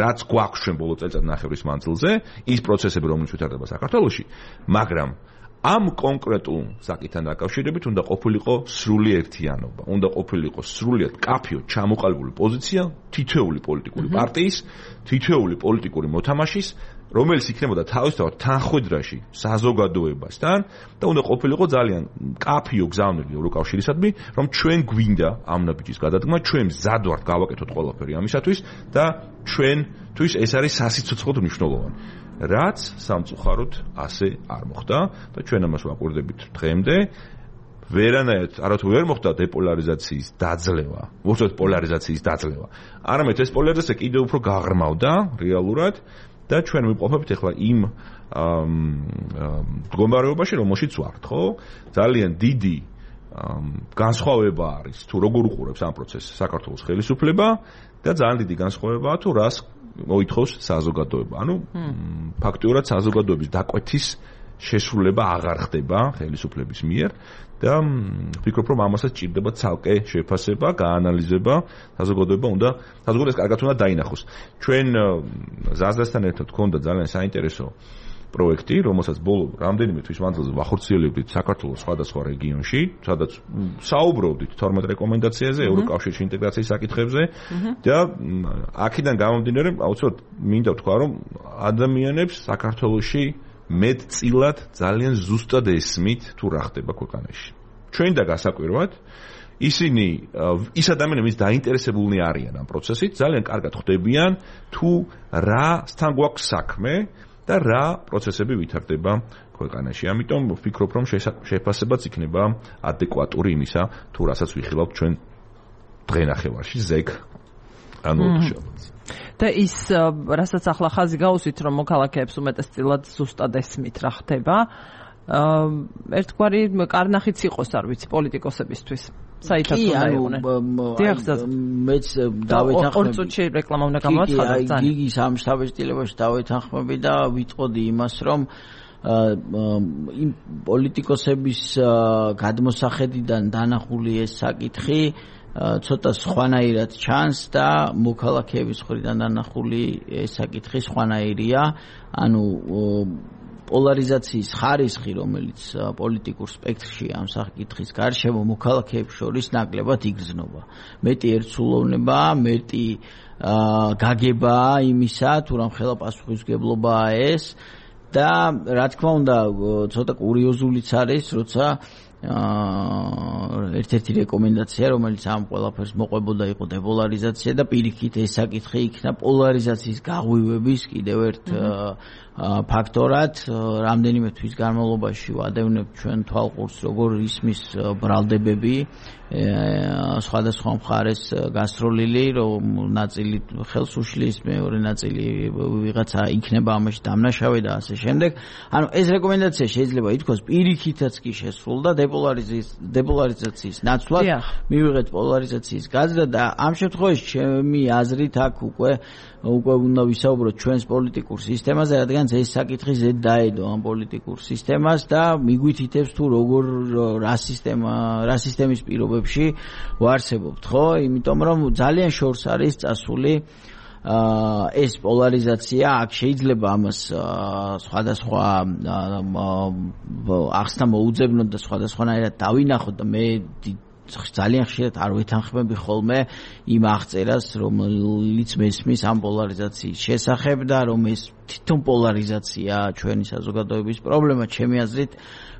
რაც გვაქვს ჩვენ ბოლო წელიწადნახევრის მანძილზე, ის პროცესები, რომლებიც ვითარდება საქართველოში, მაგრამ ამ კონკრეტულ საკითხთან დაკავშირებით უნდა ყოფილიყო სრული ერთიანობა, უნდა ყოფილიყო სრულიად კაფიო ჩამოყალიბებული პოზიცია თითოეული პოლიტიკური პარტიის, თითოეული პოლიტიკური მოთამაშის, რომელიც იქნებოდა თავისთავად თანხმედრაში საზოგადოებასთან და უნდა ყოფილიყო ძალიან კაფიო გზავნილი ევროკავშირისადმი, რომ ჩვენ გვინდა ამ ნაბიჯის გადადგმა, ჩვენ მზად ვართ გავაკეთოთ ყველაფერი ამისათვის და ჩვენთვის ეს არის სასიცოცხლოდ მნიშვნელოვანი. რაც სამწუხაროდ ასე არ მოხდა და ჩვენ ამას ვაკვირდებით დღემდე. ვერანაირად არათუ ვერ მოხდა დეპოლარიზაციის დაძლევა, უბრალოდ პოლარიზაციის დაძლევა. არამედ ეს პოლარიზაცია კიდევ უფრო გაღრმავდა რეალურად და ჩვენ ვიმყოფებით ახლა იმ მდგომარეობაში, რომელშიც ვართ, ხო? ძალიან დიდი განსხვავება არის თუ როგორ უყურებს ამ პროცესს საქართველოს ხელისუფლება და ძალიან დიდი განსხვავებაა თუ რას მოითხოვს საზოგადოება. ანუ ფაქტიურად საზოგადოების დაკვეთის შესრულება აღარ ხდება ხელისუფლების მიერ და ვფიქრობ, რომ ამასაც ჭირდება ცალკე შეფასება, გაანალიზება, საზოგადოებას კარგად უნდა დაინახოს. ჩვენ ზაზდასთან ერთად გქონდა ძალიან საინტერესო პროექტი, რომელსაც ბოლო რამდენიმე თვის მანძილზე ვახორციელებდით საქართველოს სხვადასხვა რეგიონში, სადაც საუბრობდით 12 რეკომენდაციაზე, ევროკავშირში ინტეგრაციის საკითხებზე და აქედან გამომდინარე, აუცილებლად მინდა ვთქვა, რომ ადამიანებს საქართველოში მეტწილად ძალიან ზუსტად ესმით თუ რა ხდება ქვეყანაში. ჩვენ და გასაკვირვად ისინი ის ადამიანები, ვინც დაინტერესებულნი არიან ამ პროცესით, ძალიან კარგად ხვდებიან თუ რასთან გვაქვს საქმე და რა პროცესები ვითარდება ქვეყანაში. ამიტომ ვფიქრობ, რომ შეფასებაც იქნება ადეკვატური იმისა, თუ რასაც ვიხილავთ ჩვენ დღენახევარში ზეგ ანუ და ის რასაც ახლა ხაზი გაუსვით, რომ მოქალაქეებს უმეტესწილად ზუსტად ესმით რა ხდება, ერთგვარი კარნახიც იყოს, არ ვიცი, პოლიტიკოსებისთვის. საერთოდ უნდა იყვნენ. მეც დავეთანხმები. ორ წუთში რეკლამა უნდა გამოაცხადოს ძალიან. გიგის ამ შთაბეჭდილებაში დავეთანხმები და ვიტყოდი იმას, რომ იმ პოლიტიკოსების გადმოსახედიდან დანახული ეს საკითხი ცოტა სხვანაირად ჩანს და მოქალაქეების მხრიდან დანახული ეს საკითხი სხვანაირია. ანუ პოლარიზაციის ხარისხი, რომელიც პოლიტიკურ სპექტრში ამ საკითხის გარშემო მოქალაქეებს შორის ნაკლებად იგრძნობა. მეტი ერთსულოვნება, მეტი გაგებაა იმისა, თუ რამ ხელა პასუხისმგებლობაა ეს და რა თქმა უნდა, ცოტა კურიოზულიც არის, როცა ერთ-ერთი რეკომენდაცია, რომელიც ამ ყველაფერს მოყვებოდა, იყო დეპოლარიზაცია და პირიქით ეს საკითხი იქნა პოლარიზაციის გაღვივების კიდევ ერთ ფაქტორად. რამდენიმე თვის განმავლობაში ვადევნებთ ჩვენ თვალყურს, როგორ ისმის ბრალდებები სხვადასხვა მხარეს გასროლილი, რომ ნაწილი ხელს უშლის, მეორე ნაწილი ვიღაცა იქნება ამაში დამნაშავე და ასე შემდეგ. ანუ ეს რეკომენდაცია შეიძლება ითქვას პირიქითაც კი შესრულდა დეპოლარიზაციის ნაცვლად, მივიღეთ პოლარიზაციის გაზრდა და ამ შემთხვევაში ჩემი აზრით აქ უკვე უნდა ვისაუბროთ ჩვენს პოლიტიკურ სისტემაზე, რადგან ეს საკითხი ზედ დაედო ამ პოლიტიკურ სისტემას და მიგვითითებს თუ როგორ რა სისტემის პირობებში ვარსებობთ, ხო? იმიტომ რომ ძალიან შორს არის წასული ეს პოლარიზაცია. აქ შეიძლება ამას სხვადასხვა ახსნა მოუძებნოთ და სხვადასხვანაირად დავინახოთ და მე ძალიან ხშირად არ ვეთანხმები ხოლმე იმ აღწერას, რომელიც მესმის ამ პოლარიზაციის შესახებ და რომ ეს თვითონ პოლარიზაცია ჩვენი საზოგადოების პრობლემა, ჩემი აზრით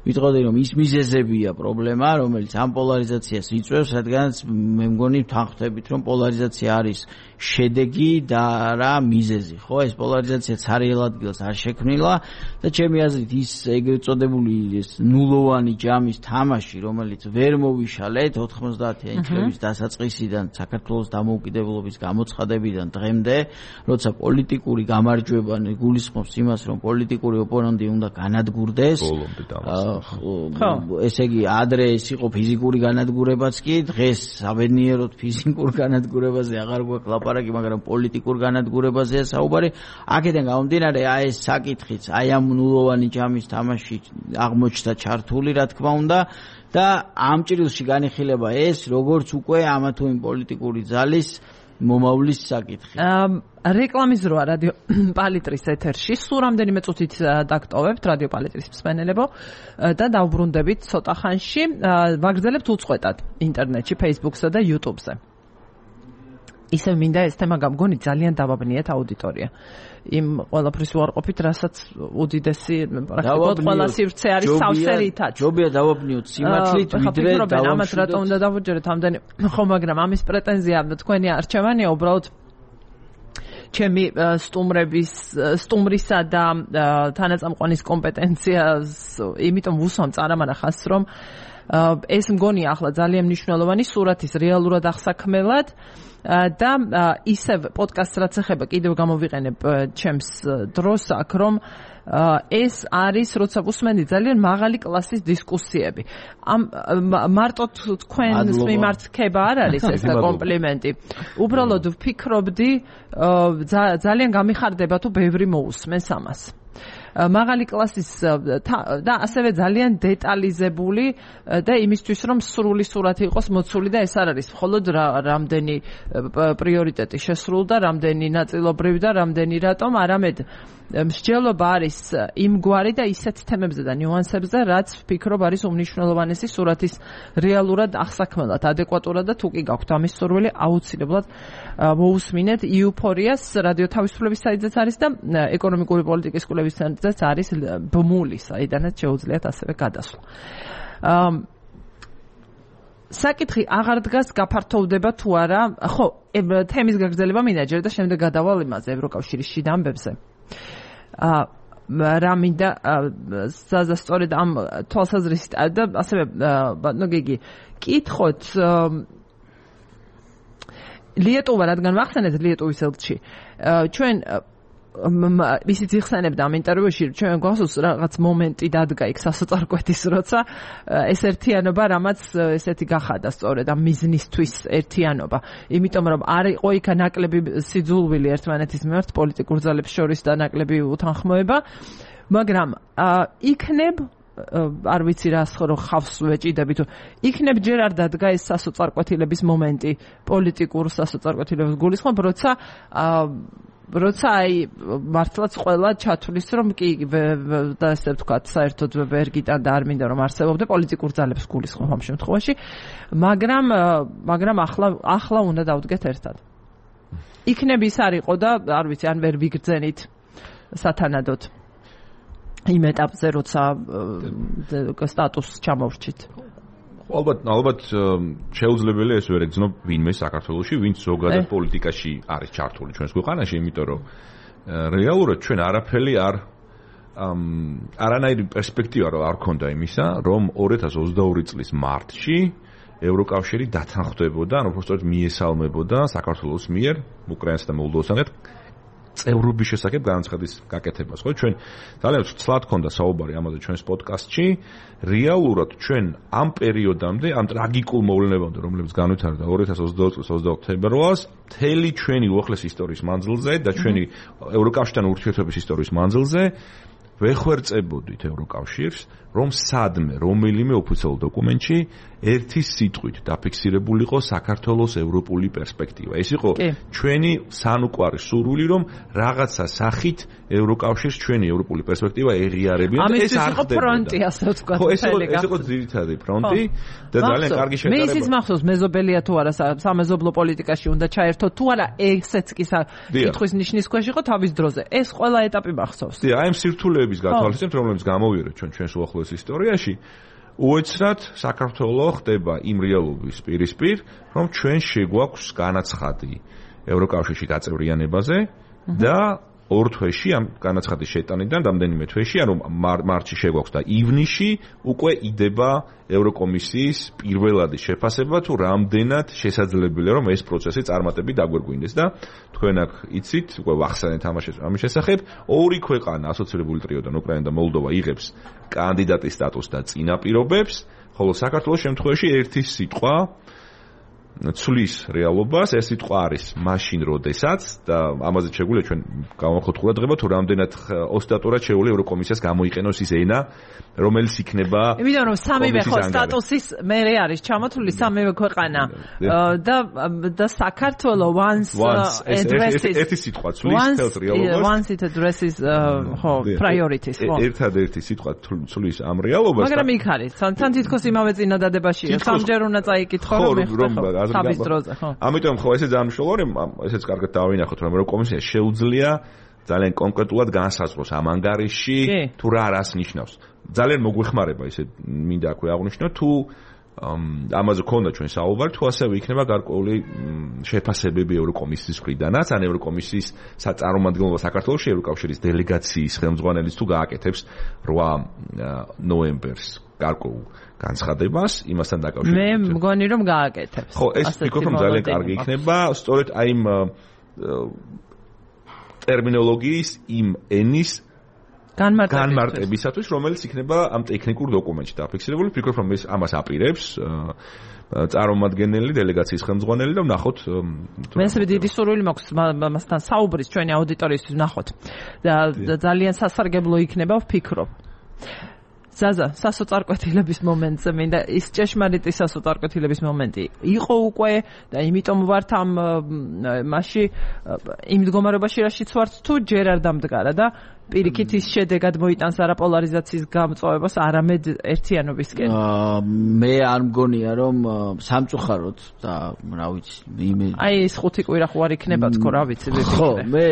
ვიტყოდი რომ ის მიზეზებია პრობლემა, რომელიც ამ პოლარიზაციას იწვევს, რადგანაც მე მგონი თანხმდებით რომ პოლარიზაცია არის შედეგი და რა მიზეზი, ხო? ეს პოლარიზაცია ცარიელ ადგილს არ შექმნილა და ჩემი აზრით ის ეგრეთ წოდებული ნულოვანი ჯამის თამაში, რომელიც ვერ მოვიშალეთ 90-იანი წლების დასაწყისიდან საქართველოს დამოუკიდებლობის გამოცხადებიდან დღემდე, როცა პოლიტიკური გამარჯვება გულისხმობს იმას, რომ პოლიტიკური ოპონენტი უნდა განადგურდეს. ესე იგი, ადრე ეს იყო ფიზიკური განადგურებაც კი, დღეს საბედნიეროდ ფიზიკურ განადგურებაზე აღარ გვაქვს ლაპარაკი, მაგრამ პოლიტიკურ განადგურებაზეა საუბარი. აქედან გამომდინარე, ეს საკითხიც, ამ ნულოვანი ჯამის თამაში აღმოჩნდა ჩართული, რა თქმა უნდა, და ამ ჭრილში განიხილება ეს, როგორც უკვე ამა თუ იმ პოლიტიკური ძალის მომავლის საკითხი. რეკლამის დროა რადიო პალიტრის ეთერში. სულ რამდენიმე წუთით დაგტოვებთ რადიო პალიტრის მსმენელებო და დავბრუნდებით ცოტა ხანში. ვაგრძელებთ უწყვეტად ინტერნეტში, Facebook-სა და YouTube-ზე. ისევ მინდა ეს თემა გამგონი ძალიან დავაბნიეთ აუდიტორია. იმ ყველაფრის უარყოფით, რასაც უდიდესი პრაქტიკულად ყველა სივრცე არის სავსერითაც. ჯობია დავაბნიოთ სიმართლით, ვიდრე ამას რატომ უნდა დავუჯეროთ ამდენი, ხო, მაგრამ ამის პრეტენზია თქვენი არჩევანია უბრალოდ ჩემი სტუმრისა და თანაწამყვანის კომპეტენციას, იმიტომ ვუსვამ წარამანახას, რომ ეს მგონია ახლა ძალიან მნიშვნელოვანი სურათის რეალურად აღსაქმელად და ისევ პოდკასტს რაც ეხება კიდევ გამოვიყენებ ჩემს დროს აქ, რომ ეს არის, როცა ვუსმენდი ძალიან მაღალი კლასის დისკუსიები. მარტო თქვენს მიმართ ხება არ არის ეს კომპლიმენტი. უბრალოდ ვფიქრობდი, ძალიან გამიხარდება თუ ბევრი მოусმენს ამას. მაღალი კლასის და ასევე ძალიან დეტალიზებული და იმისთვის რომ სრული სურათი იყოს მოცული და ეს არ არის მხოლოდ რამდენი პრიორიტეტი შესრულდა, რამდენი ნაწილობრივი და რამდენი რატომ, არამედ მსჯელობა არის იმგვარი და ისეთ თემებზე და ნიუანსებზე, რაც ვფიქრობ არის უმნიშვნელოვანესი სურათის რეალურად აღსაქმელად, ადეკვატურად და თუ კი გაქვთ ამის სურვილი, აუცილებლად მოусმინეთ იუფორიას რადიო თავისუფლების საიტზეც არის და ეკონომიკური პოლიტიკის კვლევის ცენტრზეც არის ბმული, საიდანაც შეუძლიათ ასევე გადასვლა. საკითხი აღარ დგას გაფართოვდება თუ არა, ხო, თემის გაგრძელება მინდა ჯერ და შემდეგ გადავალ იმაზე ევროკავშირის შიდა ამბებზე. რა მინდა სწორედ ამ თვალსაზრისით და ასევე ბატონო გიგი კითხოთ ლიეტუვა, რადგან ვახსენეთ ლიეტუვის ელჩი, ჩვენ ისიც იხსენებდა ამ ინტერვიუში, ჩვენ გვახსოვს რაღაც მომენტი დადგა იქ სასოწარკვეთის, როცა ეს ერთიანობა რამაც ესეთი გახადა სწორედ ამ მიზნისთვის ერთიანობა. იმიტომ რომ არ იყო იქ ნაკლები სიძულვილი ერთმანეთის მიმართ პოლიტიკურ ძალებს შორის და ნაკლები უთანხმოება, მაგრამ იქნებ არ ვიცი რა ხო ხავს ვეჭიდები თუ იქნებ ჯერ არ დადგა ეს სასოწარკვეთილების მომენტი, პოლიტიკურ სასოწარკვეთილების გულისხმობ, როცა აი მართლაც ყველა ჩათვლის რომ კი და ესე ვთქვათ საერთოდ ვერ გიტან და არ მინდა რომ არსებობდე პოლიტიკურ ძალებს გულისხმობ ამ შემთხვევაში, მაგრამ ახლა უნდა დავდგეთ ერთად. იქნებ ის არ იყო და არ ვიცი ან ვერ ვიგრძენით სათანადოდ იმ ეტაპზე, როცა სტატუსს ჩამოვრჩით. ალბათ შეუძლებელია ეს ვერ ეგზნო ვინმე საქართველოში, ვინც ზოგადად პოლიტიკაში არის ჩართული ჩვენს ქვეყანაში, იმიტომ რომ რეალურად ჩვენ არაფერი არანაირი პერსპექტივა არ ქონდა იმისა, რომ 2022 წლის მარტში ევროკავშირი დათანხმდებოდა, ანუ უბრალოდ მიესალმებოდა საქართველოს მიერ უკრაინასა და მოლდოვასთან წევრობის შესახებ განაცხადის გაკეთებას, ხო? ჩვენ ძალიან ცლად ქონდა საუბარი ამაზე ჩვენს პოდკასტში. რეალურად ჩვენ ამ პერიოდამდე, ამ ტრაგიკულ მოვლენებამდე, რომლებიც განვითარდა 2022 წლის 22 თებერვალს, მთელი ჩვენი უახლესი ისტორიის მანძილზე და ჩვენი ევროკავშირთან ურთიერთობის ისტორიის მანძილზე ვეხვერწებოდით ევროკავშირს, რომ სადმე რომელიმე ოფიციალურ დოკუმენტში ერთი სიტყვით დაფიქსირებულიყო საქართველოს ევროპული პერსპექტივა. ეს იყო ჩვენი სანუკვარი სურვილი, რომ რაღაცა სახით ევროკავშირს ჩვენი ევროპული პერსპექტივა ეღიარებინა და ეს არ ხდებოდა. ფრონტი, ასე ვთქვათ, ეს იყო ძირითადი ფრონტი და ძალიან კარგი შეტარება. მე ისიც მახსოვს მეზობელია თუ არა სამეზობლო პოლიტიკაში უნდა ჩაერთოთ თუ არა ესეც კი კითხვის ნიშნის ქვეშ იყო თავის დროზე. ეს ყველა ეტაპი მახსოვს. აი ამ სირთულეების გათვალისწინებთ, რომლებიც გამოვიარეთ ჩვენს უახლოეს ისტორიაში, უეცრად საქართველოს ხდება იმ რეალობის პირისპირ, რომ ჩვენ შეგვაქვს განაცხადი ევროკავშირში გაწევრიანებაზე და ორ თვეში ამ განაცხადის შეტანიდან რამდენიმე თვეში, ანუ მარტში შეგვაქვს და ივნისში უკვე იდება ევროკომისიის პირველადი შეფასება თუ რამდენად შესაძლებელია რომ ეს პროცესი წარმატებით დაგვერგვინდეს და თქვენ აქ იცით, უკვე ვახსენეთ ამის შესახებ, ორი ქვეყანა ასოცირებული ტრიოდან უკრაინა და მოლდოვა იღებს კანდიდატის სტატუსს და წინაპირობებს, ხოლო საქართველოს შემთხვევაში ერთი სიტყვა ცulis რეალობას, ეს სიტყვა არის მაშინ როდესაც და ამაზე შეგვიძლია ჩვენ გავახოთ ყურადღება თუ რამდენად ოსტატურად შეუძლია ევროკომისიას გამოიყენოს ის ენა, რომელიც იქნება იმიტომ რომ სამივე ხო სტატუსის მერე არის ჩამოთვლილი სამივე ქვეყანა და საქართველო once addresses ერთი სიტყვა ცulis თელს რეალობას once it addresses ხო priorities ხო ერთადერთი სიტყვა ცulis ამ რეალობას მაგრამ იქ არის თან თითქოს იმავე წინადადებაშია სამჯერ უნდა წაიკითხო რომ თავის დროზე ხო ამიტომ ხო ესე ძალიან მნიშვნელოვანია ესეც კარგად დავინახოთ რომ ევროკომისია შეუძლია ძალიან კონკრეტულად განსაზღვროს ამ ანგარიში თუ რას ნიშნავს ძალიან მოგვეხმარება ესე მინდა აქვე აღვნიშნო თუ ამაზე ქონდა ჩვენ საუბარი თუ ასევე იქნება გარკვეული შეფასებები ევროკომისიის მხრიდანაც ან ევროკომისიის საწარმოადგენლობა საქართველოში ევროკავშირის დელეგაციის ხელმძღვანელის თუ გააკეთებს 8 ნოემბერს გარკვეულ განცხადებას იმასთან დაკავშირებით. მე მგონი რომ გააკეთებს. ხო, ეს ვფიქრობ რომ ძალიან კარგი იქნება, სწორედ აი იმ ტერმინოლოგიის იმ ენის განმარტებისათვის, რომელიც იქნება ამ ტექნიკურ დოკუმენტში დაფიქსირებული. ვფიქრობ რომ ეს ამას აპირებს წარმომადგენელი დელეგაციის ხელმძღვანელი და ვნახოთ მე ესე დიდი სურვილი მაქვს მასთან საუბრის ჩვენი აუდიტორიისთვის ვნახოთ. და ძალიან სასარგებლო იქნება ვფიქრობ. ზაზა, სასოწარკვეთილების მომენტზე მინდა ის ჭეშმარიტი სასოწარკვეთილების მომენტი იყო უკვე და იმიტომ ვართ ამ მასში იმ მდგომარეობაში რაშიც ვართ თუ ჯერ არ დამდგარა და პირიქით ის შედეგად მოიტანს არა პოლარიზაციის გამწვავებას, არამედ ერთიანობისკენ. მე არ მგონია რომ სამწუხაროდ და რა ვიცი აი ეს 5 კვირა ხო არ იქნება თქო რა ვიცი ხო მე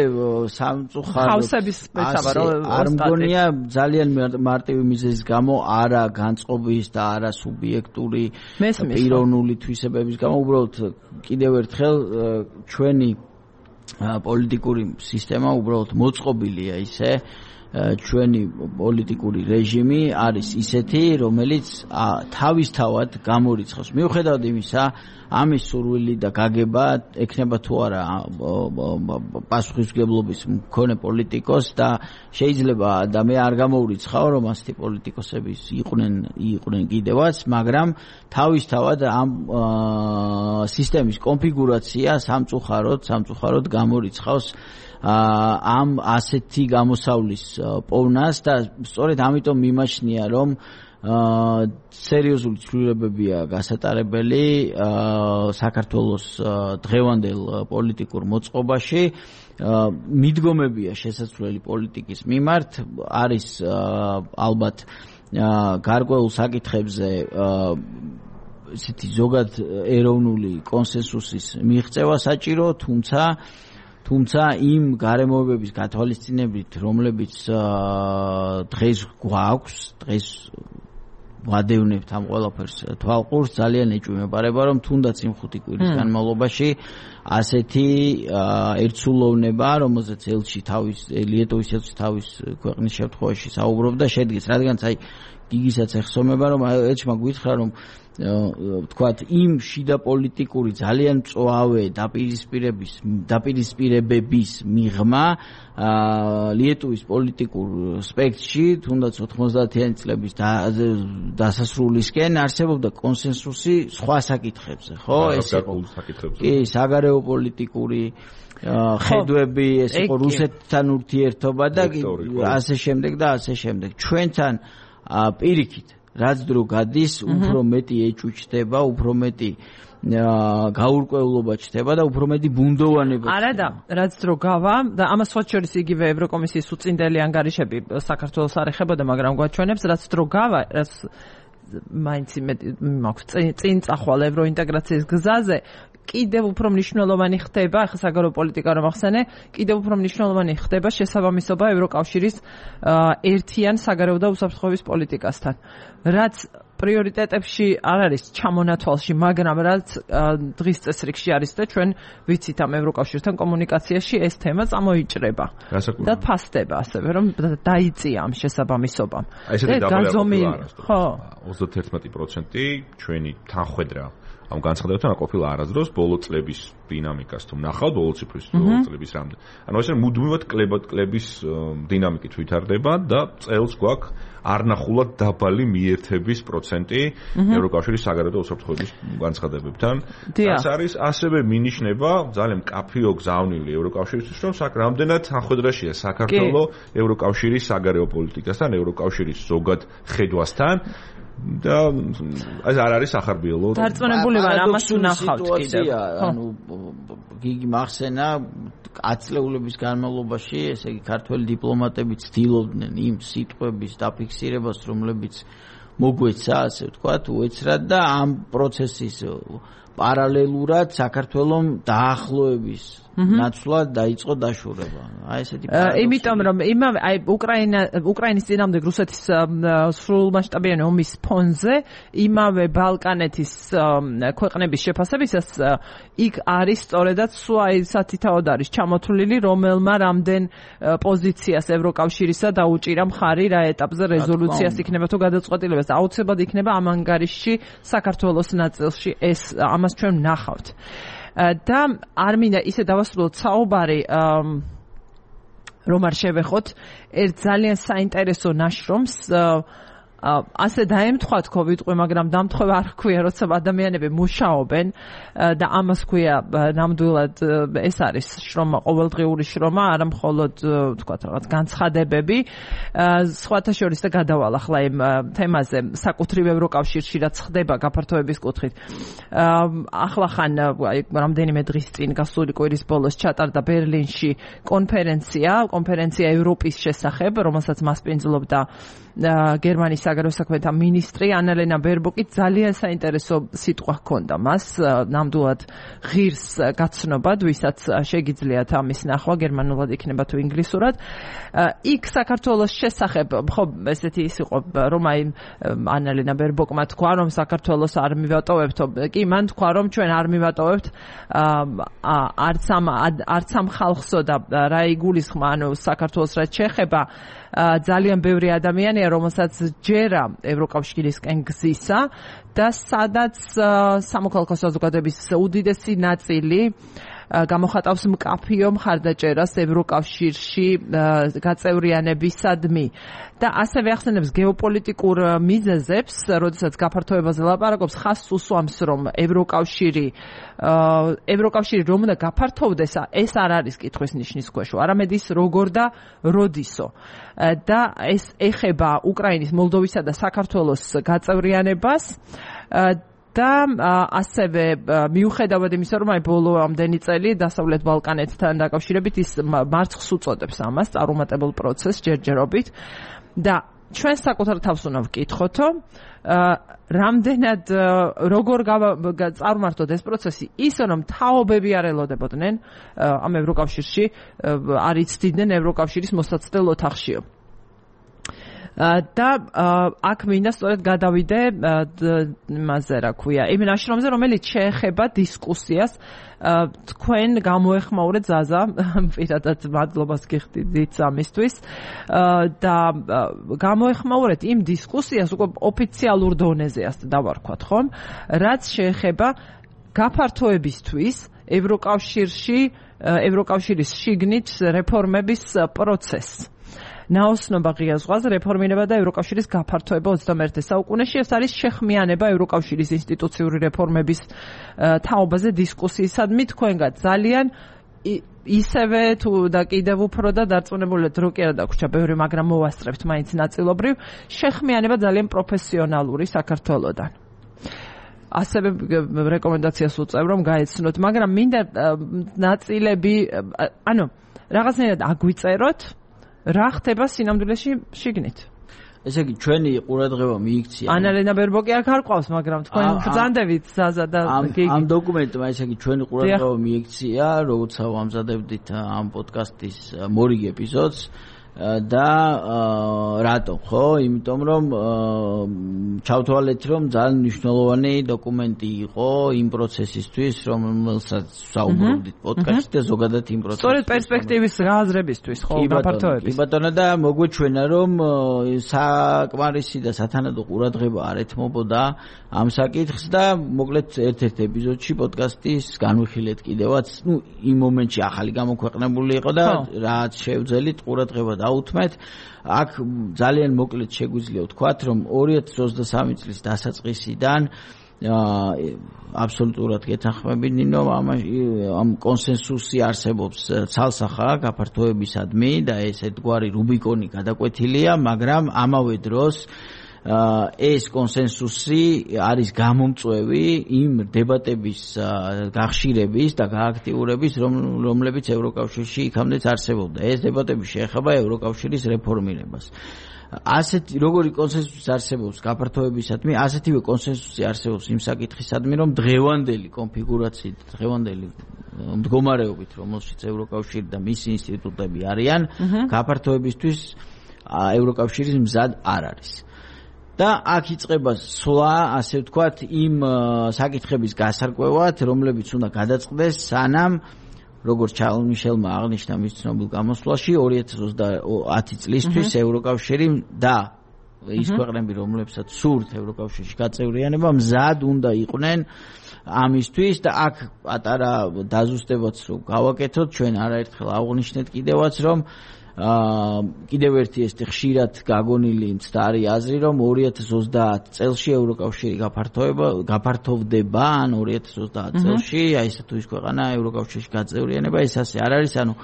სამწუხაროდ ხავსების მეცავა რომ არ მგონია ძალიან მარტივი მიზეზის გამო არა განწყობის და არა სუბიექტური პიროვნული თვისებების გამო უბრალოდ კიდევ ერთხელ ჩვენი პოლიტიკური სისტემა უბრალოდ მოწყობილია ისე ჩვენი პოლიტიკური რეჟიმი არის ისეთი რომელიც თავისთავად გამორიცხავს მიუხედავად იმისა ამის სურვილი და გაგება ექნება თუ არა პასუხისმგებლობის მქონე პოლიტიკოს და შეიძლება და მე არ გამოურიცხავ რომ ასეთი პოლიტიკოსები იყვნენ კიდევაც მაგრამ თავისთავად ამ სისტემის კონფიგურაცია სამწუხაროდ გამორიცხავს ამ ასეთი გამოსავლის პოვნას და სწორედ ამიტომ მიმაჩნია რომ სერიოზული ცვლილებებია გასატარებელი საქართველოს დღევანდელ პოლიტიკურ მოწყობაში მიდგომებია შესაძლებელი პოლიტიკის მიმართ არის ალბათ გარკვეულ საკითხებზე ისეთი ზოგად ეროვნული კონსენსუსის მიღწევა საჭირო თუმცა იმ გარემოებების გათვალისწინებით რომლებიც დღეს გვაქვს დღეს ვადევნებთ ამ ყველაფერს თვალყურს ძალიან ეჭვმეპარება რომ თუნდაც იმ 5 კვირის განმავლობაში ასეთი ერთსულოვნება რომელზეც ელჩი ლიეტოვის ელჩი თავის ქვეყნის შემთხვევაში საუბრობდა შედგეს რადგანაც აი გიგისაც ეხსომება რომ ელჩმა გვითხრა რომ თქვათ იმ შიდა პოლიტიკური ძალიან მწვავე დაპირისპირებების მიღმა ლიეტოვის პოლიტიკურ სპექტრში თუნდაც 90-იანი წლების დასასრულისკენ არსებობდა კონსენსუსი სხვა საკითხებზე ხო ეს იყო კი საგარეო პოლიტიკური ხედვები, ეს იყო რუსეთთან ურთიერთობა და ასე შემდეგ და ასე შემდეგ. ჩვენთან პირიქით რაც დრო გადის, უფრო მეტი ეჭუჩდება, უფრო მეტი გაურკვევლობა ჩდება და უფრო მეტი ბუნდოვანება. არა და რაც დრო გავა და ამას სხვა შორის იგივე ევროკომისიის უწინდელი ანგარიშები საქართველოს არ ეხებოდა, მაგრამ გვაჩვენებს რაც დრო გავა, რაც მაინც მაქვს წინ წახვალ ევროინტეგრაციის გზაზე კიდევ უფრო მნიშვნელოვანი ხდება, ახლა საგარეო პოლიტიკა რომ ახსენე, კიდევ უფრო მნიშვნელოვანი ხდება შესაბამისობა ევროკავშირის ერთიან საგარეო და უსაფრთხოების პოლიტიკასთან. რაც პრიორიტეტებში არ არის ჩამონათვალში, მაგრამ რაც დღის წესრიგში არის და ჩვენ ვიცით ამ ევროკავშირთან კომუნიკაციაში ეს თემა წამოიჭრება და ფასდება ასევე რომ დაიწია ამ შესაბამისობამ. ესეთი დაბალი ხო 31% ჩვენი თანხwebdriver ამ განცხადებებთან ყოფილა არასდროს ბოლო წლების დინამიკას თუ ნახავთ ბოლო ციფრის ბოლო წლების რამდენ. ანუ ესე მუდმივად კლების დინამიკით ვითარდება და წელს გვაქვს არნახულად დაბალი მიერთების პროცენტი ევროკავშირის საგარეო და უსაფრთხოების განცხადებებთან. ეს არის ასევე მინიშნება ძალიან მკაფიო გზავნილი ევროკავშირისთვის, რომ რამდენად თანხwebdriverშია საქართველოს ევროკავშირის საგარეო პოლიტიკასთან, ევროკავშირის ზოგად ხედვასთან და ეს არ არის ახარბიელო. დარწმუნებული ვარ, ამას უნახავთ კიდევ. ანუ გიგი მახსენა ათწლეულების განმავლობაში, ესე იგი ქართველი დიპლომატები ცდილობდნენ იმ სიტყვების დაფიქსირებას, რომლებიც მოგვეცა, ასე ვთქვათ, უეცრად და ამ პროცესის პარალელურად საქართველოს დაახლოების ნაცვლად დაიწყო დაშორება. აი ესეთი პარადოქსი. იმიტომ რომ იმავე აი უკრაინის წინააღმდეგ რუსეთის სრულმასშტაბიანი ომის ფონზე იმავე ბალკანეთის ქვეყნების შეფასებისას იქ არის სწორედაც სვაი სათითაოდ არის ჩამოთვლილი რომელმა რამდენ პოზიციას ევროკავშირისა დაუჭირა მხარი რა ეტაპზე რეზოლუციას იქნება თუ გადაწყვეტილებას აუცილებლად იქნება ამ ანგარიშში საქართველოს ნაწილში ეს ამას ჩვენ ვნახავთ. და არ მინდა ისე დავასრულოთ საუბარი რომ არ შევეხოთ ერთ ძალიან საინტერესო ნაშრომს ასე დაემთხვათ COVID-ყვი, მაგრამ დამთხვევა არ ჰქვია, როცა ადამიანები მუშაობენ და ამას ჰქვია ნამდვილად ეს არის შრომა, ყოველდღიური შრომა, არა მხოლოდ ვთქვათ რაღაც განცხადებები. სხვათა შორის და გადავალ ახლა იმ თემაზე საკუთრივ ევროკავშირში რაც ხდება გაფართოების კუთხით. ახლახან აი რამდენიმე დღის წინ გასული კვირის ბოლოს ჩატარდა ბერლინში კონფერენცია ევროპის შესახებ, რომელსაც მასპინძლობდა გერმანიის საგარეო საქმეთა მინისტრი ანალენა ბერბოკი. ძალიან საინტერესო სიტყვა ჰქონდა მას, ნამდვილად ღირს გაცნობად, ვისაც შეგიძლიათ ამის ნახვა, გერმანულად იქნება თუ ინგლისურად. იქ საქართველოს შესახებ, ხო, ესეთი ის იყო, რომ აი ანალენა ბერბოკმა თქვა, რომ საქართველოს არ მივატოვებთო, კი, მან თქვა, რომ ჩვენ არ მივატოვებთ არც ამ ხალხსო და რა იგულისხმა, ანუ საქართველოს რაც შეეხება ძალიან ბევრი ადამიანია, რომელსაც ჯერა ევროკავშირისკენ გზისა და სადაც სამოქალაქო საზოგადოების უდიდესი ნაწილი გამოხატავს მკაფიო მხარდაჭერას ევროკავშირში გაწევრიანებისადმი და ასევე ახსენებს გეოპოლიტიკურ მიზეზებს, როდესაც გაფართოებაზე ლაპარაკობს, ხაზს უსვამს, რომ ევროკავშირი რომ უნდა გაფართოვდეს, ეს არ არის კითხვის ნიშნის ქვეშ, არამედ ის როგორ და როდისო. და ეს ეხება უკრაინის, მოლდოვისა და საქართველოს გაწევრიანებას და ასევე მიუხედავად იმისა, რომ აი ბოლო ამდენი წელი დასავლეთ ბალკანეთთან დაკავშირებით ის მარცხს უწოდებს ამას წარუმატებელ პროცესს ჯერჯერობით და ჩვენ საკუთარ თავს უნდა ვკითხოთო რამდენად როგორ წარმართოთ ეს პროცესი ისე რომ თაობები არ ელოდებოდნენ ამ ევროკავშირში არ იცდიდნენ ევროკავშირის მოსაცდელ ოთახშიო და აქ მინდა სწორედ გადავიდე იმაზე რა ქვია იმ ნაშრომზე რომელიც შეეხება დისკუსიას თქვენ გამოეხმაურეთ ზაზა პირადად მადლობას გიხდით ამისთვის და გამოეხმაურეთ იმ დისკუსიას უკვე ოფიციალურ დონეზე ასე დავარქვათ ხომ რაც შეეხება გაფართოებისთვის ევროკავშირის შიგნით რეფორმების პროცესს ნაოსნობა ღია ზღვაზე რეფორმირება და ევროკავშირის გაფართოება 21 საუკუნეში ეს არის შეხმიანება ევროკავშირის ინსტიტუციური რეფორმების თაობაზე დისკუსიისადმი თქვენგან ძალიან ისევე თუ და კიდევ უფრო და დარწმუნებულად რო კი არა დაგვრჩა ბევრი, მაგრამ მოვასწრებთ მაინც ნაწილობრივ შეხმიანება ძალიან პროფესიონალური საქართველოდან. ასევე რეკომენდაციას უწევ რომ გაეცნოთ, მაგრამ მინდა ნაწილები, ანუ რაღაცნაირად აგვიწეროთ, რა ხდება სინამდვილეში შიგნით. ესე იგი ჩვენი ყურადღება მიიქცია. ანალენა ბერბოკი აქ არ ყავს, მაგრამ თქვენ ბრძანდებით ზაზა და გიგი. ამ დოკუმენტმა ესე იგი ჩვენი ყურადღება მიიქცია, როცა ვამზადებდით ამ პოდკასტის მორიგ ეპიზოდს და რატო, ხო? იმიტომ რომ ჩავთვალეთ რომ ძალიან მნიშვნელოვანი დოკუმენტი იყო იმ პროცესისთვის, რომელსაც საუბრობდით პოდკასტში და ზოგადად იმ პროცესში. სწორედ პერსპექტივის გააზრებისთვის, ხო, გაფართოების. კი ბატონო და მოგვეჩვენა რომ საკმარისი და სათანადო ყურადღება არ ეთმობოდა ამ საკითხს და მოკლედ ერთ-ერთ ეპიზოდში პოდკასტის განვიხილეთ კიდევაც, იმ მომენტში ახალი გამოქვეყნებული იყო და რაც შევძელით ყურადღება დაუთმეთ. აქ ძალიან მოკლედ შეგვიძლია ვთქვათ, რომ 2023 წლის დასაწყისიდან აბსოლუტურად გეთანხმებით ნინო, ამ კონსენსუსი არსებობს ცალსახა გაფართოებისადმი და ეს ერთგვარი რუბიკონი გადაკვეთილია, მაგრამ ამავე დროს ეს კონსენსუსი არის გამომწვევი იმ დებატების გახშირების და გააქტიურების, რომლებიც ევროკავშირში იქამდეც არსებობდა. ეს დებატები შეეხება ევროკავშირის რეფორმირებას. ასეთი როგორი კონსენსუსი არსებობს გაფართოებისადმი, ასეთივე კონსენსუსი არსებობს იმ საკითხისადმი, რომ დღევანდელი კონფიგურაციით, დღევანდელი მდგომარეობით, რომელშიც ევროკავშირი და მისი ინსტიტუტები არიან, გაფართოებისთვის ევროკავშირის მზად არ არის. და აქ იწყება სვლა, ასე ვთქვათ, იმ საკითხების გასარკვევად, რომლებიც უნდა გადაწყდეს სანამ, როგორც ჩარლზ მიშელმა აღნიშნა მის ცნობილ გამოსვლაში 2030 წლისთვის ევროკავშირი და ის ქვეყნები, რომლებსაც სურთ ევროკავშირში გაწევრიანება, მზად უნდა იყვნენ ამისთვის და აქ პატარა დაზუსტებაც რო გავაკეთოთ, ჩვენ არაერთხელ აღვნიშნეთ კიდევაც, რომ კიდევ ერთი ეს ხშირად გაგონილი მცდარი აზრი, რომ 2030 წელში ევროკავშირი გაფართოვდება, ან 2030 წელში, აი ეს თუ ის ქვეყანა ევროკავშირში გაწევრიანება, ეს ასე არ არის, ანუ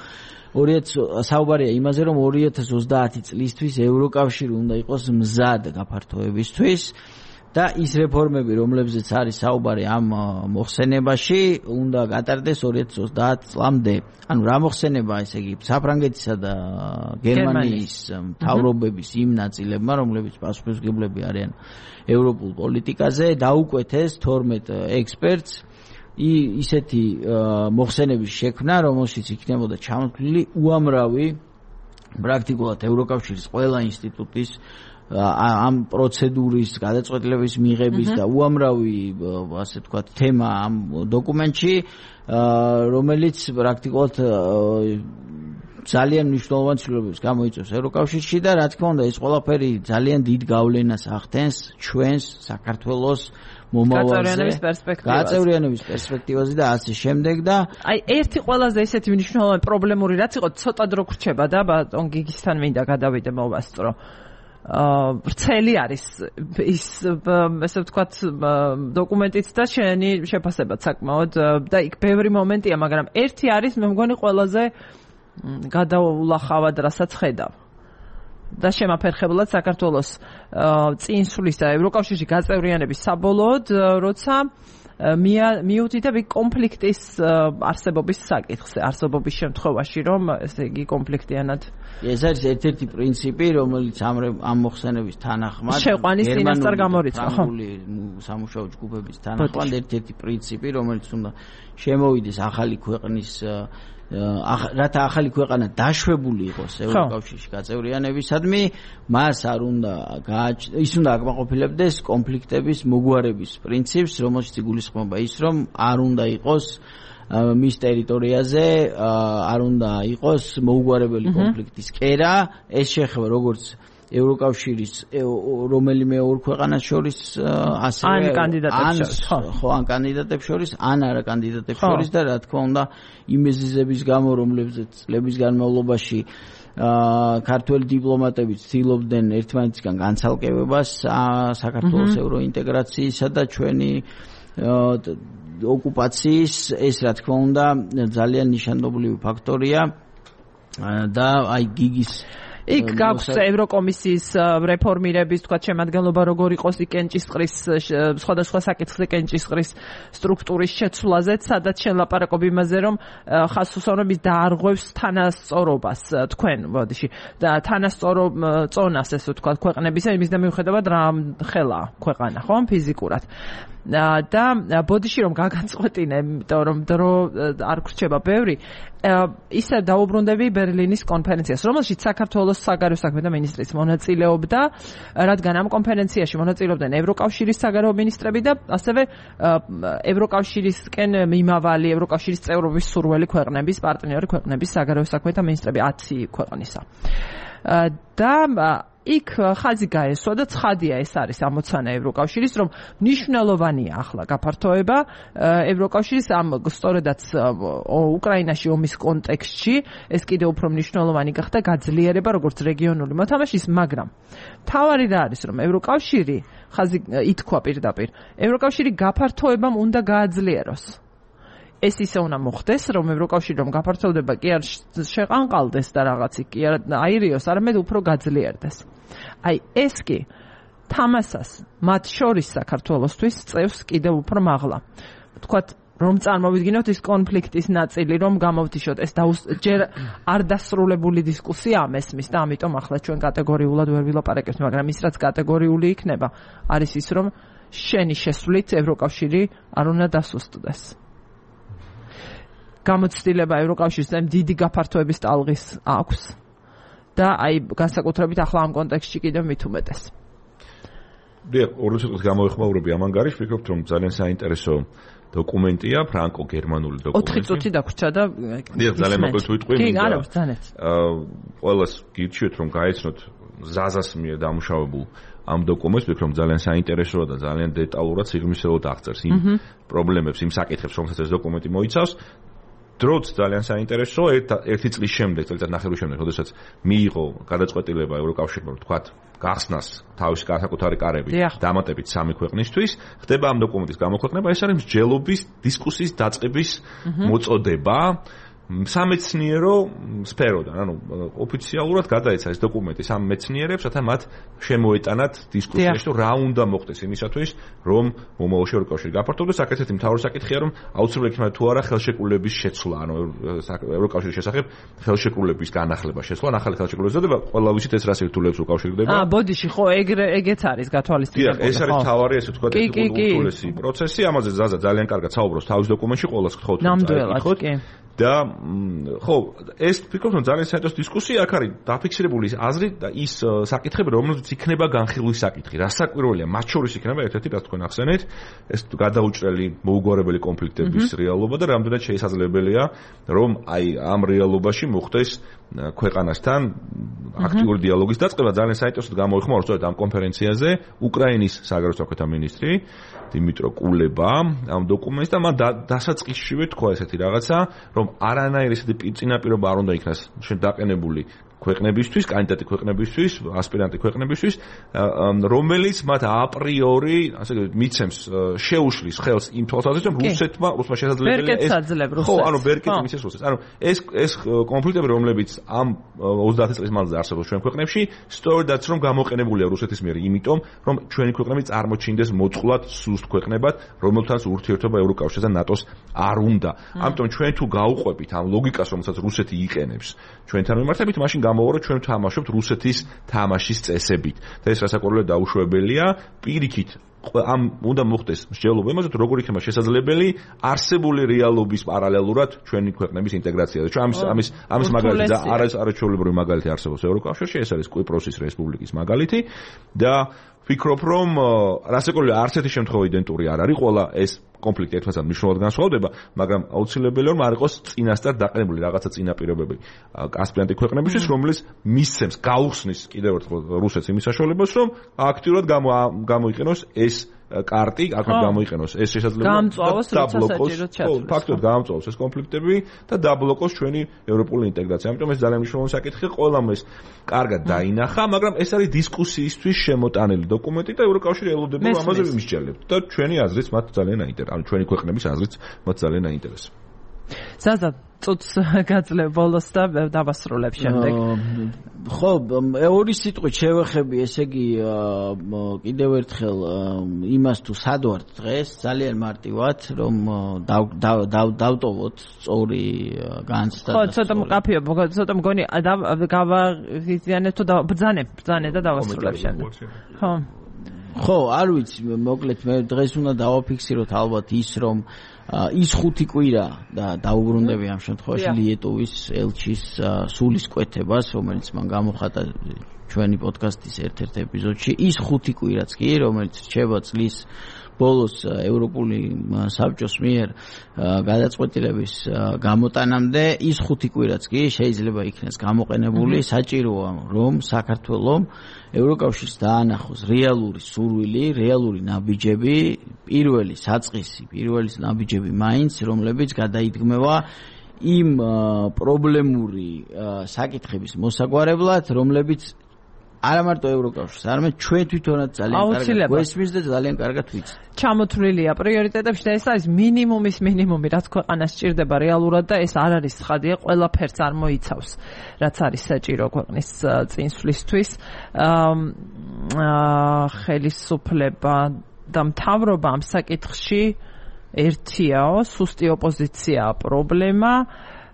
საუბარია იმაზე, რომ 2030 წლისთვის ევროკავშირი უნდა იყოს მზად გაფართოებისთვის და ის რეფორმები, რომლებზეც არის საუბარი ამ მოხსენებაში, უნდა გატარდეს 2030 წლამდე. ანუ რა მოხსენება, ესე იგი, საფრანგეთისა და გერმანიის მთავრობების იმ ნაწილებმა, რომლებიც პასუხისმგებლები არიან ევროპულ პოლიტიკაზე, დაუკვეთეს 12 ექსპერტს ისეთი მოხსენების შექმნა, რომელშიც იქნებოდა ჩამოთვლილი უამრავი პრაქტიკულად ევროკავშირის ყველა ინსტიტუტის ამ პროცედურის გადაწყვეტილების მიღების და უამრავი, ასე ვთქვათ, თემა ამ დოკუმენტში, რომელიც პრაქტიკულად ძალიან მნიშვნელოვან ცვლილებებს გამოიწვევს ევროკავშირში და რა თქმა უნდა ეს ყველაფერი ძალიან დიდ გავლენას ახდენს ჩვენს საქართველოს მომავალზე, გაწევრიანების პერსპექტივაზე და ასე შემდეგ და აი ერთი ყველაზე ესეთი მნიშვნელოვანი პრობლემური რაც იყო, ცოტა დრო გრჩება და ბატონ გიგისთან მინდა გადავიდე მოვასწრო. ვრცელი არის ის ესე ვთქვათ დოკუმენტიც და შენი შეფასებაც საკმაოდ და იქ ბევრი მომენტია, მაგრამ ერთი არის მე მგონი ყველაზე გადაულახავად რასაც ხედავ და შემაფერხებლად საქართველოს წინსვლის და ევროკავშირში გაწევრიანების საბოლოოდ, როცა მიუთითებ კონფლიქტის არსებობის საკითხზე, არსებობის შემთხვევაში, რომ ესე იგი კონფლიქტიანად ეს არის ერთ-ერთი პრინციპი, რომელიც ამ მოხსენების თანახმად შეყვანის წინასწარ გამორიცხა, ხო? სამუშაო ჯგუფების თანახმად ერთ-ერთი პრინციპი, რომელიც უნდა შემოვიდეს ახალი ქვეყნის რათა ახალი ქვეყანა დაშვებული იყოს ევროკავშირში გაწევრიანებისადმი, მას არ უნდა ის უნდა აკმაყოფილებდეს კონფლიქტების მოგვარების პრინციპს, რომელშიც იგულისხმება ის, რომ არ უნდა იყოს მის ტერიტორიაზე არ უნდა იყოს მოუგვარებელი კონფლიქტის კერა, ეს შეეხება როგორც ევროკავშირის რომელიმე ორ ქვეყანას შორის ასევე ან კანდიდატებს შორის, ან არა კანდიდატებს შორის და რა თქმა უნდა იმ მიზეზების გამო, რომლებზეც წლების განმავლობაში ქართველი დიპლომატები ცდილობდნენ ერთმანეთისგან განცალკევებას საქართველოს ევროინტეგრაციისა და ჩვენი ოკუპაციის ეს რა თქმა უნდა ძალიან ნიშანდობლივი ფაქტორია და აი გიგის იქ გაქვს ევროკომისიის რეფორმირების თქვა შემადგენლობა როგორ იყოს იქ კენჭისყრის სხვადასხვა საკითხზე კენჭისყრის სტრუქტურის შეცვლაზეც სადაც შელაპარაკობ იმაზე რომ ხასუსონების დაარღვევს თანასწორობას თქვენ ბოდიში და თანასწორო წონას ესე ვთქვა ქვეყნებისა იმის და მიუხედავად რა ხელა ქვეყანა ხო ფიზიკურად და ბოდიში რომ გაგაწყვეტინე იმიტომ რომ დრო არ გრჩება ბევრი ისე დაუბრუნდები ბერლინის კონფერენციას რომელშიც საქართველოს საგარეო საქმეთა მინისტრის მონაწილეობდა რადგან ამ კონფერენციაში მონაწილეობდნენ ევროკავშირის საგარეო მინისტრები და ასევე ევროკავშირისკენ მიმავალი ევროკავშირის წევრობის სურველი ქვეყნების პარტნიორი ქვეყნების საგარეო საქმეთა მინისტრები 10 ქვეყნისა და იქ ხაზი გაესვა და ცხადია ეს არის ამოცანა ევროკავშირის რომ მნიშვნელოვანია ახლა გაფართოება ევროკავშირის ამ სწორედაც უკრაინაში ომის კონტექსტში ეს კიდევ უფრო მნიშვნელოვანი გახდა გაძლიერება როგორც რეგიონული მოთამაშის მაგრამ თავარი რა არის რომ ევროკავშირი ხაზი ითქვა პირდაპირ ევროკავშირი გაფართოებამ უნდა გააძლიეროს ეს ისე უნდა მოხდეს, რომ ევროკავშირი რომ გაფართოვდება კი არ შეყანყალდეს და რაღაცი კი არ აირიოს, არამედ უფრო გაძლიერდეს. აი ეს კი თამასას მათ შორის საქართველოსთვის წევს კიდევ უფრო მაღლა. ვთქვათ, რომ წარმოვიდგინოთ ის კონფლიქტის ნაწილი, რომ გამოვთიშოთ, ეს ჯერ არ დასრულებული დისკუსია ამესმის და ამიტომ ახლა ჩვენ კატეგორიულად ვერ ვილაპარაკებთ, მაგრამ ის რაც კატეგორიული იქნება, არის ის, რომ შენი შესვლით ევროკავშირი არ უნდა დასუსტდეს. გამოცდილება ევროკავშირის დიდი გაფართოების ტალღის აქვს და აი განსაკუთრებით ახლა ამ კონტექსტში კიდევ მით უმეტეს. დიახ, ორი წუთის გამოეხმაურები ამ ანგარიშს, ვფიქრობ, რომ ძალიან საინტერესო დოკუმენტია, ფრანკო-გერმანული დოკუმენტი. 4 წუთი დაგვრჩა და დიახ, ძალიან მოკლედ ვიტყვი. კი, არა, ძალიან. ყველას გირჩიოთ, რომ გაეცნოთ ზაზას მიერ დამუშავებულ ამ დოკუმენტს, ვფიქრობ, ძალიან საინტერესოა და ძალიან დეტალურად სიღრმისეულად აღწერს იმ პრობლემებს, იმ საკითხებს, რომელსაც ეს დოკუმენტი მოიცავს. დროც ძალიან საინტერესოა ერთი წლის შემდეგ, წელიწად ნახევრის შემდეგ, როდესაც მიიღო გადაწყვეტილება ევროკავშირმა, თქვათ, გახსნას თავისი განსაკუთარი კარები დამატებით 3 ქვეყნისთვის, ხდება ამ დოკუმენტის გამოქვეყნება, ეს არის მსჯელობის დისკუსიის დაწყების მოწოდება სამეცნიერო სფეროდან, ანუ ოფიციალურად გადაეცა ეს დოკუმენტი სამ მეცნიერებს, რათა მათ შემოეტანათ დისკუსიაში, რომ რა უნდა მოხდეს იმისათვის, რომ მომავალში ევროკავშირი გაფართოვდეს. აქ-ესეთი მთავარი საკითხია, რომ აუცილებლად იქნება თუ არა ხელშეკრულების შეცვლა, ანუ ევროკავშირის შესახებ ხელშეკრულების განახლება შეცვლა, ახალი ხელშეკრულების ზოდება, ყველა ვიცით ეს რა სირთულეებს უკავშირდება. ბოდიში, ხო, ეგეც არის გათვალისწინებული. ეს არის მთავარი, ესე ვთქვათ, ულტიმატური პროცესი, ამაზე ზაზა ძალიან კარგად საუბრობს თავის დოკუმენტში, ყველას გთხოვთ ნამდვილად, კი. და ხო, ეს ვფიქრობ, რომ ძალიან საინტერესო დისკუსია აქ არის დაფიქსირებული აზრი და ის საკითხები, რომელზეც იქნება განხილვის საკითხი. რასაკვირველია, მათ შორის იქნება ერთ-ერთი, რაც თქვენ ახსენეთ, ეს გადაუჭრელი მოუგვარებელი კონფლიქტების რეალობა და რამდენად შესაძლებელია, რომ აი ამ რეალობაში მოხდეს ქვეყანასთან აქტიური დიალოგის დაწყება. ძალიან საინტერესოდ გამოიხმაურა სწორედ ამ კონფერენციაზე უკრაინის საგარეო საქმეთა მინისტრი დიმიტრო კულება ამ დოკუმენტს და მან დასაწყისშივე თქვა ესეთი რაღაცა, რომ არანაირი ესეთი წინაპირობა არ უნდა იქნას დაყენებული ქვეყნებისთვის, კანდიდატი ქვეყნებისთვის, ასპირანტი ქვეყნებისთვის, რომელიც მათ აპრიორი, ასე ვთქვათ, მიცემს შეუშლის ხელს იმ თვალსაზრისით, რომ რუსეთმა შესაძლებელია ეს ხო, ანუ ვერ კეთებს მიცემს რუსეთს. ანუ ეს კონფლიქტები, რომლებიც ამ 30 წლის მანძილზე არსებობს ჩვენ ქვეყნებში, სწორედაც რომ გამოყენებულია რუსეთის მიერ, იმიტომ რომ ჩვენი ქვეყნები წარმოჩინდეს მოწყვლად სუსტ ქვეყნებად, რომელთანაც ურთიერთობა ევროკავშირსა და ნატოს არ უნდა. ამიტომ ჩვენ თუ გაუყვებით ამ ლოგიკას, რომელსაც რუსეთი იყენებს ჩვენთან მიმართებით, მაშინ გამოვა რომ ჩვენ თამაშობთ რუსეთის თამაშის წესებით და ეს რასაკვირველია დაუშვებელია პირიქით ამ უნდა მოხდეს მსჯელობა იმაზე თუ როგორ იქნება შესაძლებელი არსებული რეალობის პარალელურად ჩვენი ქვეყნების ინტეგრაცია და ჩვენ ამის მაგალითი და არაჩვეულებრივი მაგალითი არსებობს ევროკავშირში ეს არის კვიპროსის რესპუბლიკის მაგალითი და ვფიქრობ რომ რასაკვირველია არც ერთი შემთხვევა იდენტური არ არის ყველა ეს კონფლიქტი ერთმანეთთან მნიშვნელოვნად განსხვავდება მაგრამ აუცილებელია რომ არ იყოს წინასწარ დაყენებული რაღაცა წინაპირობები ასპირანტი ქვეყნებისთვის რომელიც მისცემს გაუხსნის კიდევ ერთხელ რუსეთს იმის საშუალებას რომ აქტიურად გამოიყენოს ეს კარტი აქაც გამოიყენოს ეს შესაძლებლობა ფაქტობრივად გაამწვავოს ეს კონფლიქტები და დაბლოკოს ჩვენი ევროპული ინტეგრაცია. ამიტომ ეს ძალიან მნიშვნელოვანი საკითხია, ყველამ ეს კარგად დაინახა, მაგრამ ეს არის დისკუსიისთვის შემოტანილი დოკუმენტი და ევროკავშირი ელოდება რომ ამაზე ვიმსჯელებთ და ჩვენი აზრიც მათ ძალიან აინტერესებს, ანუ ჩვენი ქვეყნების აზრიც მათ ძალიან აინტერესებს. ზაზა წუთს გაძლევ ბოლოს და დავასრულებ შემდეგ. ხო, ორი სიტყვით შევეხები, ესე იგი კიდევ ერთხელ იმას თუ სად ვართ დღეს, ძალიან მარტივად, რომ დავტოვოთ სწორი განცდა. ხო, ცოტა მყაფიო, ცოტა მგონი გავაღიზიანებ თუ ბრძანე და დავასრულებ შემდეგ. ხო. ხო, არ ვიცი, მოკლედ მე დღეს უნდა დავაფიქსიროთ ალბათ ის, რომ ის 5 კვირა და დაუბრუნდები ამ შემთხვევაში ლიეტოვის ელჩის სულისკვეთებას, რომელიც მან გამოხატა ჩვენი პოდკასტის ერთ-ერთ ეპიზოდში, ის 5 კვირაც კი, რომელიც რჩება წლის ბოლოს ევროპული საბჭოს მიერ გადაწყვეტილების გამოტანამდე, ის 5 კვირაც კი შეიძლება იქნეს გამოყენებული, საჭიროა რომ საქართველოს ევროკავშირს დაანახოს რეალური სურვილი, რეალური ნაბიჯები, პირველი საწყისი, პირველი ნაბიჯები მაინც, რომლებიც გადაიდგმება იმ პრობლემური საკითხების მოსაგვარებლად, რომლებიც არა მარტო ევროკავშირს, არამედ ჩვენ თვითონაც ძალიან კარგად გვესმის და ძალიან კარგად ვიცით. ჩამოთვლილია პრიორიტეტებში და ეს არის მინიმუმის მინიმუმი, რაც ქვეყანას სჭირდება რეალურად და ეს არ არის ცხადია, ყველაფერს არ მოიცავს, რაც არის საჭირო ქვეყნის წინსვლისთვის. ხელისუფლება და მთავრობა ამ საკითხში ერთიაო, სუსტი ოპოზიციაა პრობლემა.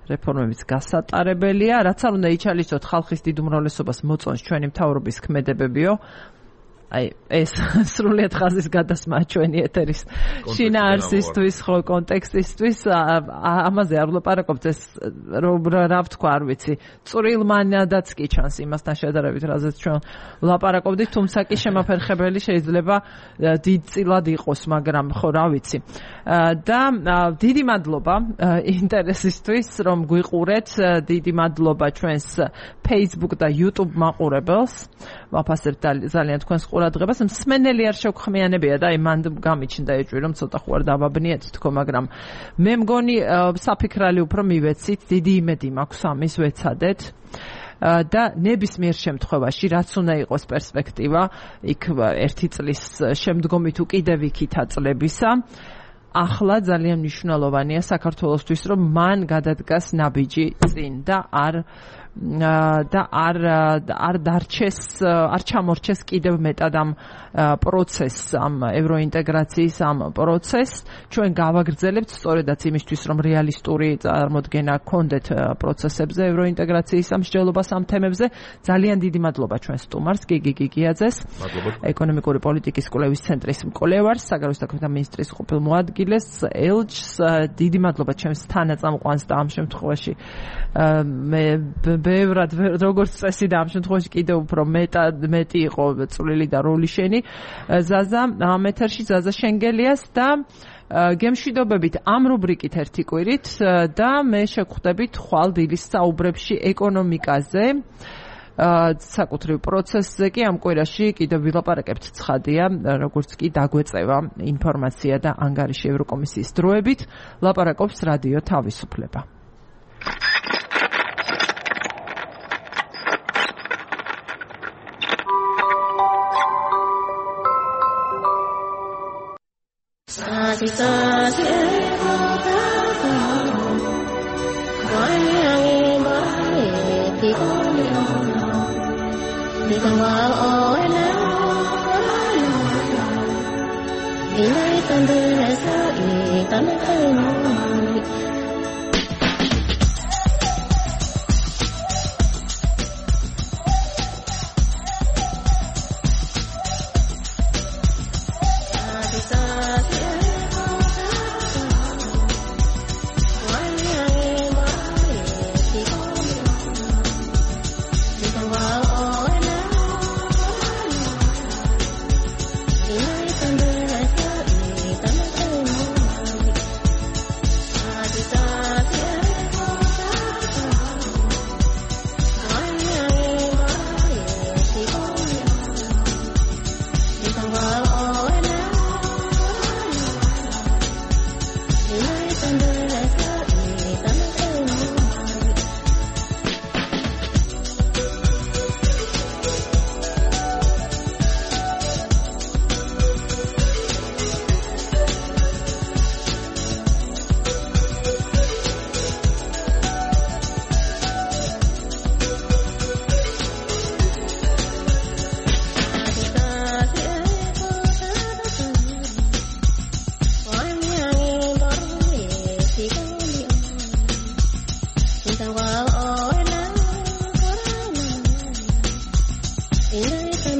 რეფორმებიც გასატარებელია, რაც არ უნდა იჩალისოთ ხალხის დიდ უმრავლესობას მოწონს ჩვენი მთავრობის ქმედებებიო. აი ეს სრულიად ხაზის გადასმა ჩვენი ეთერის შინაარსისთვის, ხო, კონტექსტისთვის, ამაზე არ ვლაპარაკობთ, ეს რა ვთქვა, არ ვიცი, წვრილმანადაც კი ჩანს იმასთან შედარებით, რაზეც ჩვენ ვლაპარაკობდით, თუმცა კი შემაფერხებელი შეიძლება დიდწილად იყოს, მაგრამ ხო, რა ვიცი. და დიდი მადლობა ინტერესისთვის, რომ გვიყურეთ, დიდი მადლობა ჩვენს Facebook და YouTube მაყურებელს. ვაფასებთ ძალიან თქვენს ყურადღებას. მსმენელი არ შეგხმიანებია და აი მან გამიჩნდა ეჭვი, რომ ცოტა ხო არ დავაბნიეთ თქო, მაგრამ მე მგონი საფიქრალი უფრო მივეცით, დიდი იმედი მაქვს ამის ვეცადეთ. და ნებისმიერ შემთხვევაში, რაც უნდა იყოს პერსპექტივა, იქ 1 წლის შემდგომი თუ კიდევ იქითა წლებისა, ახლა ძალიან მნიშვნელოვანია საქართველოსთვის, რომ მან გადადგას ნაბიჯი წინ და არ დარჩეს, არ ჩამორჩეს კიდევ მეტად ამ პროცესს, ამ ევროინტეგრაციის ამ პროცესს. ჩვენ გავაგრძელებთ სწორედაც იმისთვის, რომ რეალისტური წარმოდგენა გქონდეთ პროცესებზე, ევროინტეგრაციის ამ მსჯელობას ამ თემებზე. ძალიან დიდი მადლობა ჩვენ სტუმარს, გიგი გიგიაძეს, ეკონომიკური პოლიტიკის კვლევის ცენტრის მკვლევარს, საგარეო საქმეთა მინისტრის ყოფილ მოადგილეს, ელჩს. დიდი მადლობა ჩემს თანაწამყვანს და ამ შემთხვევაში მე ბევრად როგორც წესი და ამ შემთხვევაში კიდევ უფრო მეტი იყო წვლილი და როლი შენი ზაზა ამ ეთერში, ზაზა შენგელიას და გემშვიდობებით ამ რუბრიკით 1 კვირით და მე შეგხვდებით ხვალ დილის საუბრებში ეკონომიკაზე, საკუთრივ პროცესზე კი ამ კვირაში კიდევ ვილაპარაკებთ, ცხადია, როგორც კი დაგვეწევა ინფორმაცია და ანგარიში ევროკომისიის დროებით, ლაპარაკობს რადიო თავისუფლება. Thank you.